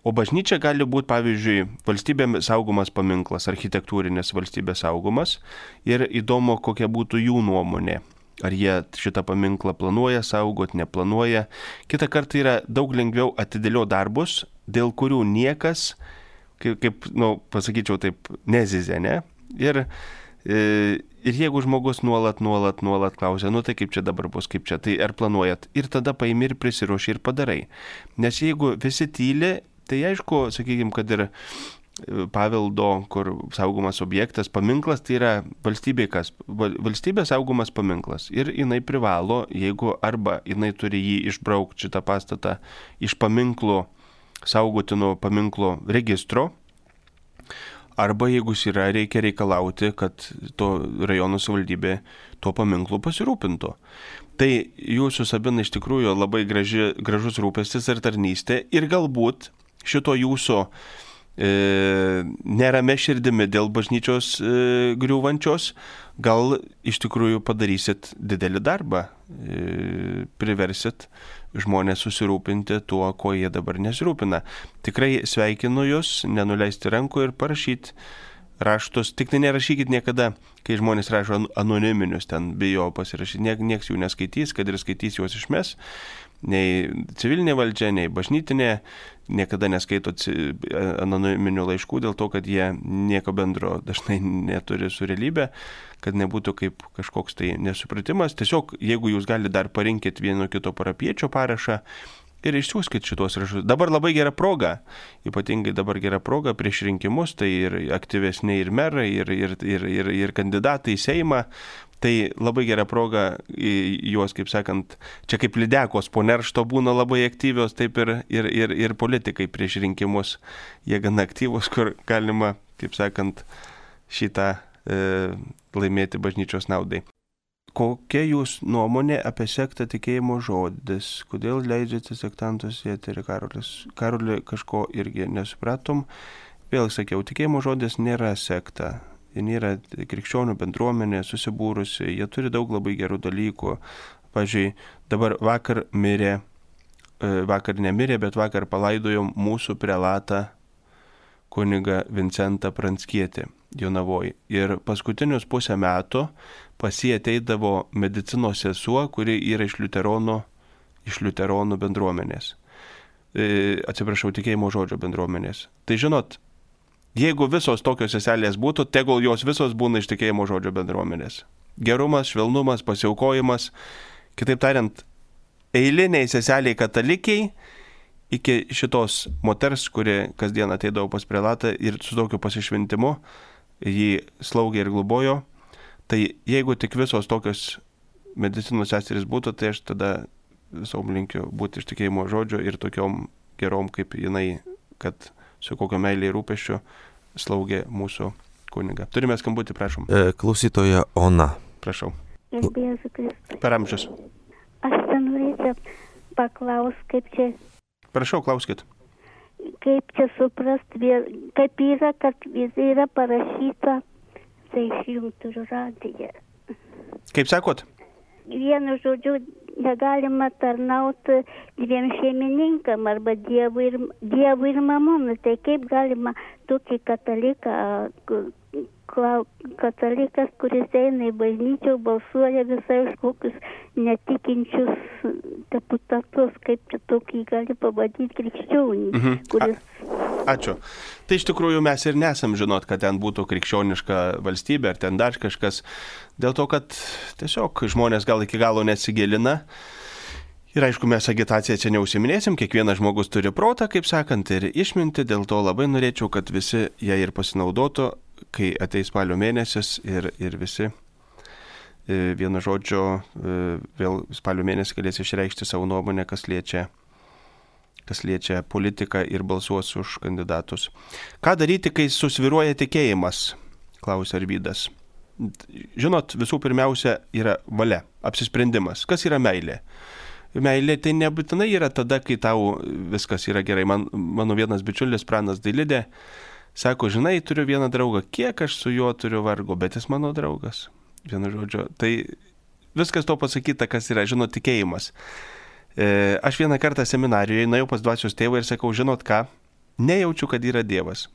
o bažnyčia gali būti, pavyzdžiui, valstybės saugomas paminklas, architektūrinis valstybės saugomas, ir įdomu, kokia būtų jų nuomonė. Ar jie šitą paminklą planuoja saugot, neplanuoja. Kita kartą yra daug lengviau atidėlio darbus, dėl kurių niekas, pasakyčiau taip, nezizė, ne? Ir jeigu žmogus nuolat klausia, tai kaip čia dabar bus, kaip čia, tai ar planuojat? Ir tada paimi ir prisiruoši ir padarai. Nes jeigu visi tyli, tai aišku, sakykime, kad ir paveldo, kur saugomas objektas, paminklas, tai yra valstybės saugomas paminklas. Ir jinai privalo, jeigu arba jinai turi jį išbraukti šitą pastatą iš paminklų, saugotino paminklo registro, arba jeigu jis yra, reikia reikalauti, kad to rajono savivaldybė tuo paminklu pasirūpintų. Tai jūsų, Sabina, iš tikrųjų labai gražus rūpestis ir tarnystė, ir galbūt šito jūsų nerame širdimi dėl bažnyčios griūvančios, gal iš tikrųjų padarysit didelį darbą, priversit žmonės susirūpinti tuo, ko jie dabar nesirūpina. Tikrai sveikinu jūs, nenuleisti rankų ir parašyti raštus. Tik tai nerašykit niekada, kai žmonės rašo anoniminius, ten bijo pasirašyti, nieks jų neskaitys, kad ir skaitys juos išmes. Nei civilinė valdžia, nei bažnytinė niekada neskaito anoniminių laiškų dėl to, kad jie nieko bendro dažnai neturi su realybė, kad nebūtų kaip kažkoks tai nesupratimas. Tiesiog, jeigu jūs galite dar parinkit vieno kito parapiečio parašą ir išsiųskit šitos raštus. Dabar labai gera proga, ypatingai dabar gera proga prieš rinkimus, tai ir aktyvesni ir merai, ir kandidatai į Seimą. Tai labai gera proga juos, kaip sakant, čia kaip lydekos po neršto būna labai aktyvios, taip ir politikai prieš rinkimus. Jie gana aktyvus, kur galima, kaip sakant, šitą laimėti bažnyčios naudai. Kokia jūs nuomonė apie sektą tikėjimo žodis? Kodėl leidžiate sektantus į eterį, Karoli, kažko irgi nesupratom. Vėl sakiau, tikėjimo žodis nėra sekta. Jie nėra krikščionių bendruomenė susibūrusi, jie turi daug labai gerų dalykų. Pavyzdžiui, dabar vakar nemirė, bet vakar palaidojom mūsų prelatą kunigą Vincentą Pranckietį Jonavoj. Ir paskutinius pusę metų pas jį ateidavo medicinos sesuo, kuri yra iš liuteronų bendruomenės. Atsiprašau, tikėjimo žodžio bendruomenės. Tai žinot, jeigu visos tokios seselės būtų, tegul jos visos būna iš tikėjimo žodžio bendruomenės. Gerumas, švelnumas, pasiaukojimas, kitaip tariant, eiliniai seseliai katalikiai iki šitos moters, kuri kasdien ateidavo pas prelatą ir su tokiu pasišventimu jį slaugė ir globojo, tai jeigu tik visos tokios medicinos seserys būtų, tai aš tada visom linkiu būti iš tikėjimo žodžio ir tokiom gerom kaip jinai, kad su kokio meilė ir rūpesčiu slaugė mūsų kunigą. Turime skambutį, prašom. Klausytoja Ona. Prašau. Gerbėsiu Kristų. Per amžius. Aš ten norėčiau paklausti, kaip čia... Prašau, klauskit. Kaip čia suprasti, kaip yra, kad yra parašyta, tai išjungtų radiją. Kaip sakot? Vienu žodžiu, negalima tarnauti dviem šeimininkam arba Dievui ir mamonui. Tai kaip galima tokį katalikas, kuris eina į bažnyčią, balsuoja visai už kokius netikinčius deputatus, kaip čia tokį gali pavadinti krikščionį, kuris... Ačiū. Tai iš tikrųjų mes ir nesam žinot, kad ten būtų krikščioniška valstybė ar ten dar kažkas. Dėl to, kad tiesiog žmonės gal iki galo nesigilina. Ir aišku, mes agitaciją čia neužsiminėsim, kiekvienas žmogus turi protą, kaip sakant, ir išminti. Dėl to labai norėčiau, kad visi ją ir pasinaudotų, kai ateis spalio mėnesis ir visi vienu žodžiu vėl spalio mėnesį galės išreikšti savo nuomonę, kas liečia politiką ir balsuos už kandidatus. Ką daryti, kai susviruoja tikėjimas? Klausia Arvydas. Žinot, visų pirmiausia yra valia, apsisprendimas. Kas yra meilė? Meilė tai nebūtinai yra tada, kai tau viskas yra gerai. Mano vienas bičiulis Pranas Dailidė sako, žinai, turiu vieną draugą, kiek aš su juo turiu vargo, bet jis mano draugas. Vienu žodžiu, tai viskas to pasakyta, kas yra, žinot, tikėjimas. Aš vieną kartą seminarijoje nuėjau pas dvasios tėvą ir sakau, žinot ką, nejaučiu, kad yra Dievas.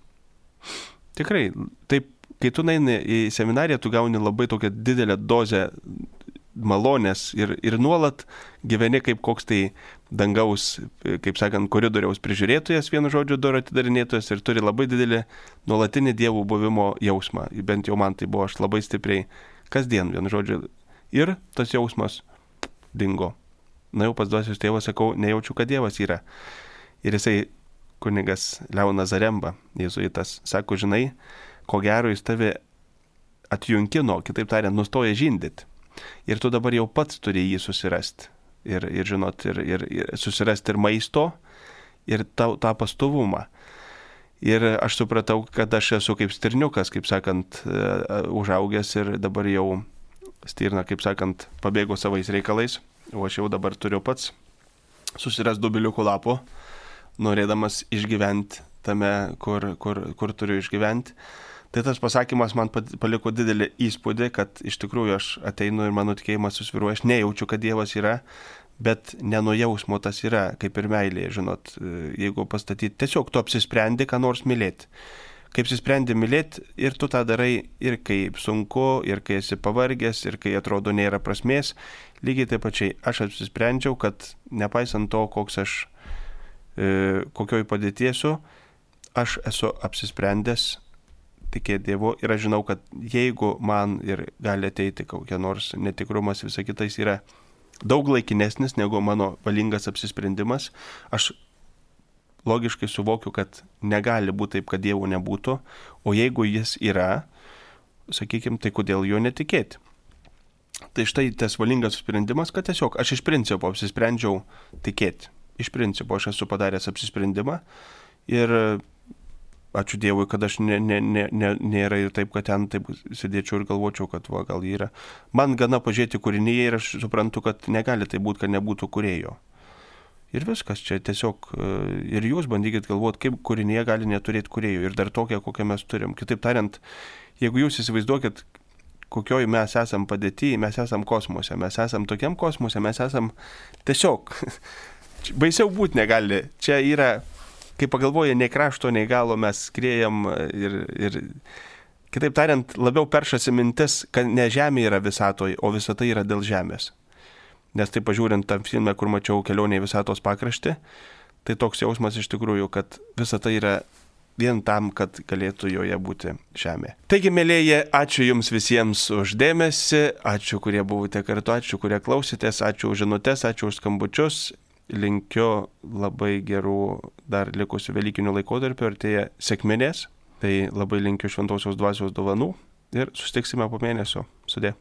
Tikrai, taip, kai tu eini į seminariją, tu gauni labai tokią didelę dozę malonės ir nuolat gyveni kaip koks tai dangaus, kaip sakant, koridoriaus prižiūrėtojas, vienu žodžiu, durų atidarinėtojas ir turi labai didelį nuolatinį dievų buvimo jausmą. Bent jau man tai buvo, aš labai stipriai kasdien, vienu žodžiu, ir tas jausmas dingo. Na jau pas dvasios tėvą sakau, nejaučiu, kad Dievas yra. Ir jisai, kunigas Leonas Zaremba, jėzuitas, sako, žinai, ko gero jis tave atjunkino, kitaip tariant, nustoja žindyti. Ir tu dabar jau pats turi jį susirasti. Ir žinot, ir susirasti ir maisto, ir tą pastovumą. Ir aš supratau, kad aš esu kaip stirniukas, kaip sakant, užaugęs ir dabar jau stirna, kaip sakant, pabėgo savais reikalais. O aš jau dabar turiu pats susirasti dubiliukų lapų, norėdamas išgyventi tame, kur turiu išgyventi. Tai tas pasakymas man paliko didelį įspūdį, kad iš tikrųjų aš ateinu ir mano tikėjimas susviruoja, aš nejaučiu, kad Dievas yra, Bet ne nuo jausmo tas yra, kaip ir meilė, žinot, jeigu pastatyti, tiesiog tu apsisprendi, ką nors mylėti. Kaip apsisprendi mylėti ir tu tą darai ir kai sunku, ir kai esi pavargęs, ir kai atrodo nėra prasmės, lygiai taip pačiai aš apsisprendžiau, kad nepaisant to, koks aš, kokioj padėtiesu, aš esu apsisprendęs tikėti Dievu ir aš žinau, kad jeigu man ir gali ateiti kokia nors netikrumas, visa kitais yra daug laikinesnis negu mano valingas apsisprendimas, aš logiškai suvokiu, kad negali būti taip, kad Dievo nebūtų, o jeigu jis yra, sakykime, tai kodėl jo netikėti. Tai štai tas valingas sprendimas, kad tiesiog aš iš principo apsisprendžiau tikėti. Iš principo aš esu padaręs apsisprendimą ir ačiū Dievui, kad aš nėra ir taip, kad ten taip sėdėčiau ir galvočiau, kad va, gal yra. Man gana pažiūrėti kūrinyje ir aš suprantu, kad negali tai būti, kad nebūtų kūrėjo. Ir viskas, čia tiesiog ir jūs bandykit galvoti, kaip kūrinyje gali neturėti kūrėjo ir dar tokią, kokią mes turim. Kitaip tariant, jeigu jūs įsivaizduokit, kokioj mes esam padėti, mes esam kosmose, mes esam tokiam kosmose, mes esam tiesiog, baisiau būti negali. Čia yra, kai pagalvoja, nei krašto, nei galo mes skriejam ir kitaip tariant, labiau peršasi mintis, kad ne Žemė yra visatoje, o visata yra dėl Žemės. Nes tai pažiūrint tam filme, kur mačiau Kelionė į visatos pakraštį, tai toks jausmas iš tikrųjų, kad visata yra vien tam, kad galėtų joje būti Žemė. Taigi, mėlėji, ačiū Jums visiems už dėmesį, ačiū, kurie buvote kartu, ačiū, kurie klausėtės, ačiū už žinutes, ačiū už skambučius. Linkiu labai gerų dar likusių velykinių laikotarpių, artėja sekminės, tai labai linkiu šventosios dvasios dovanų ir susitiksime po mėnesio. Sudie.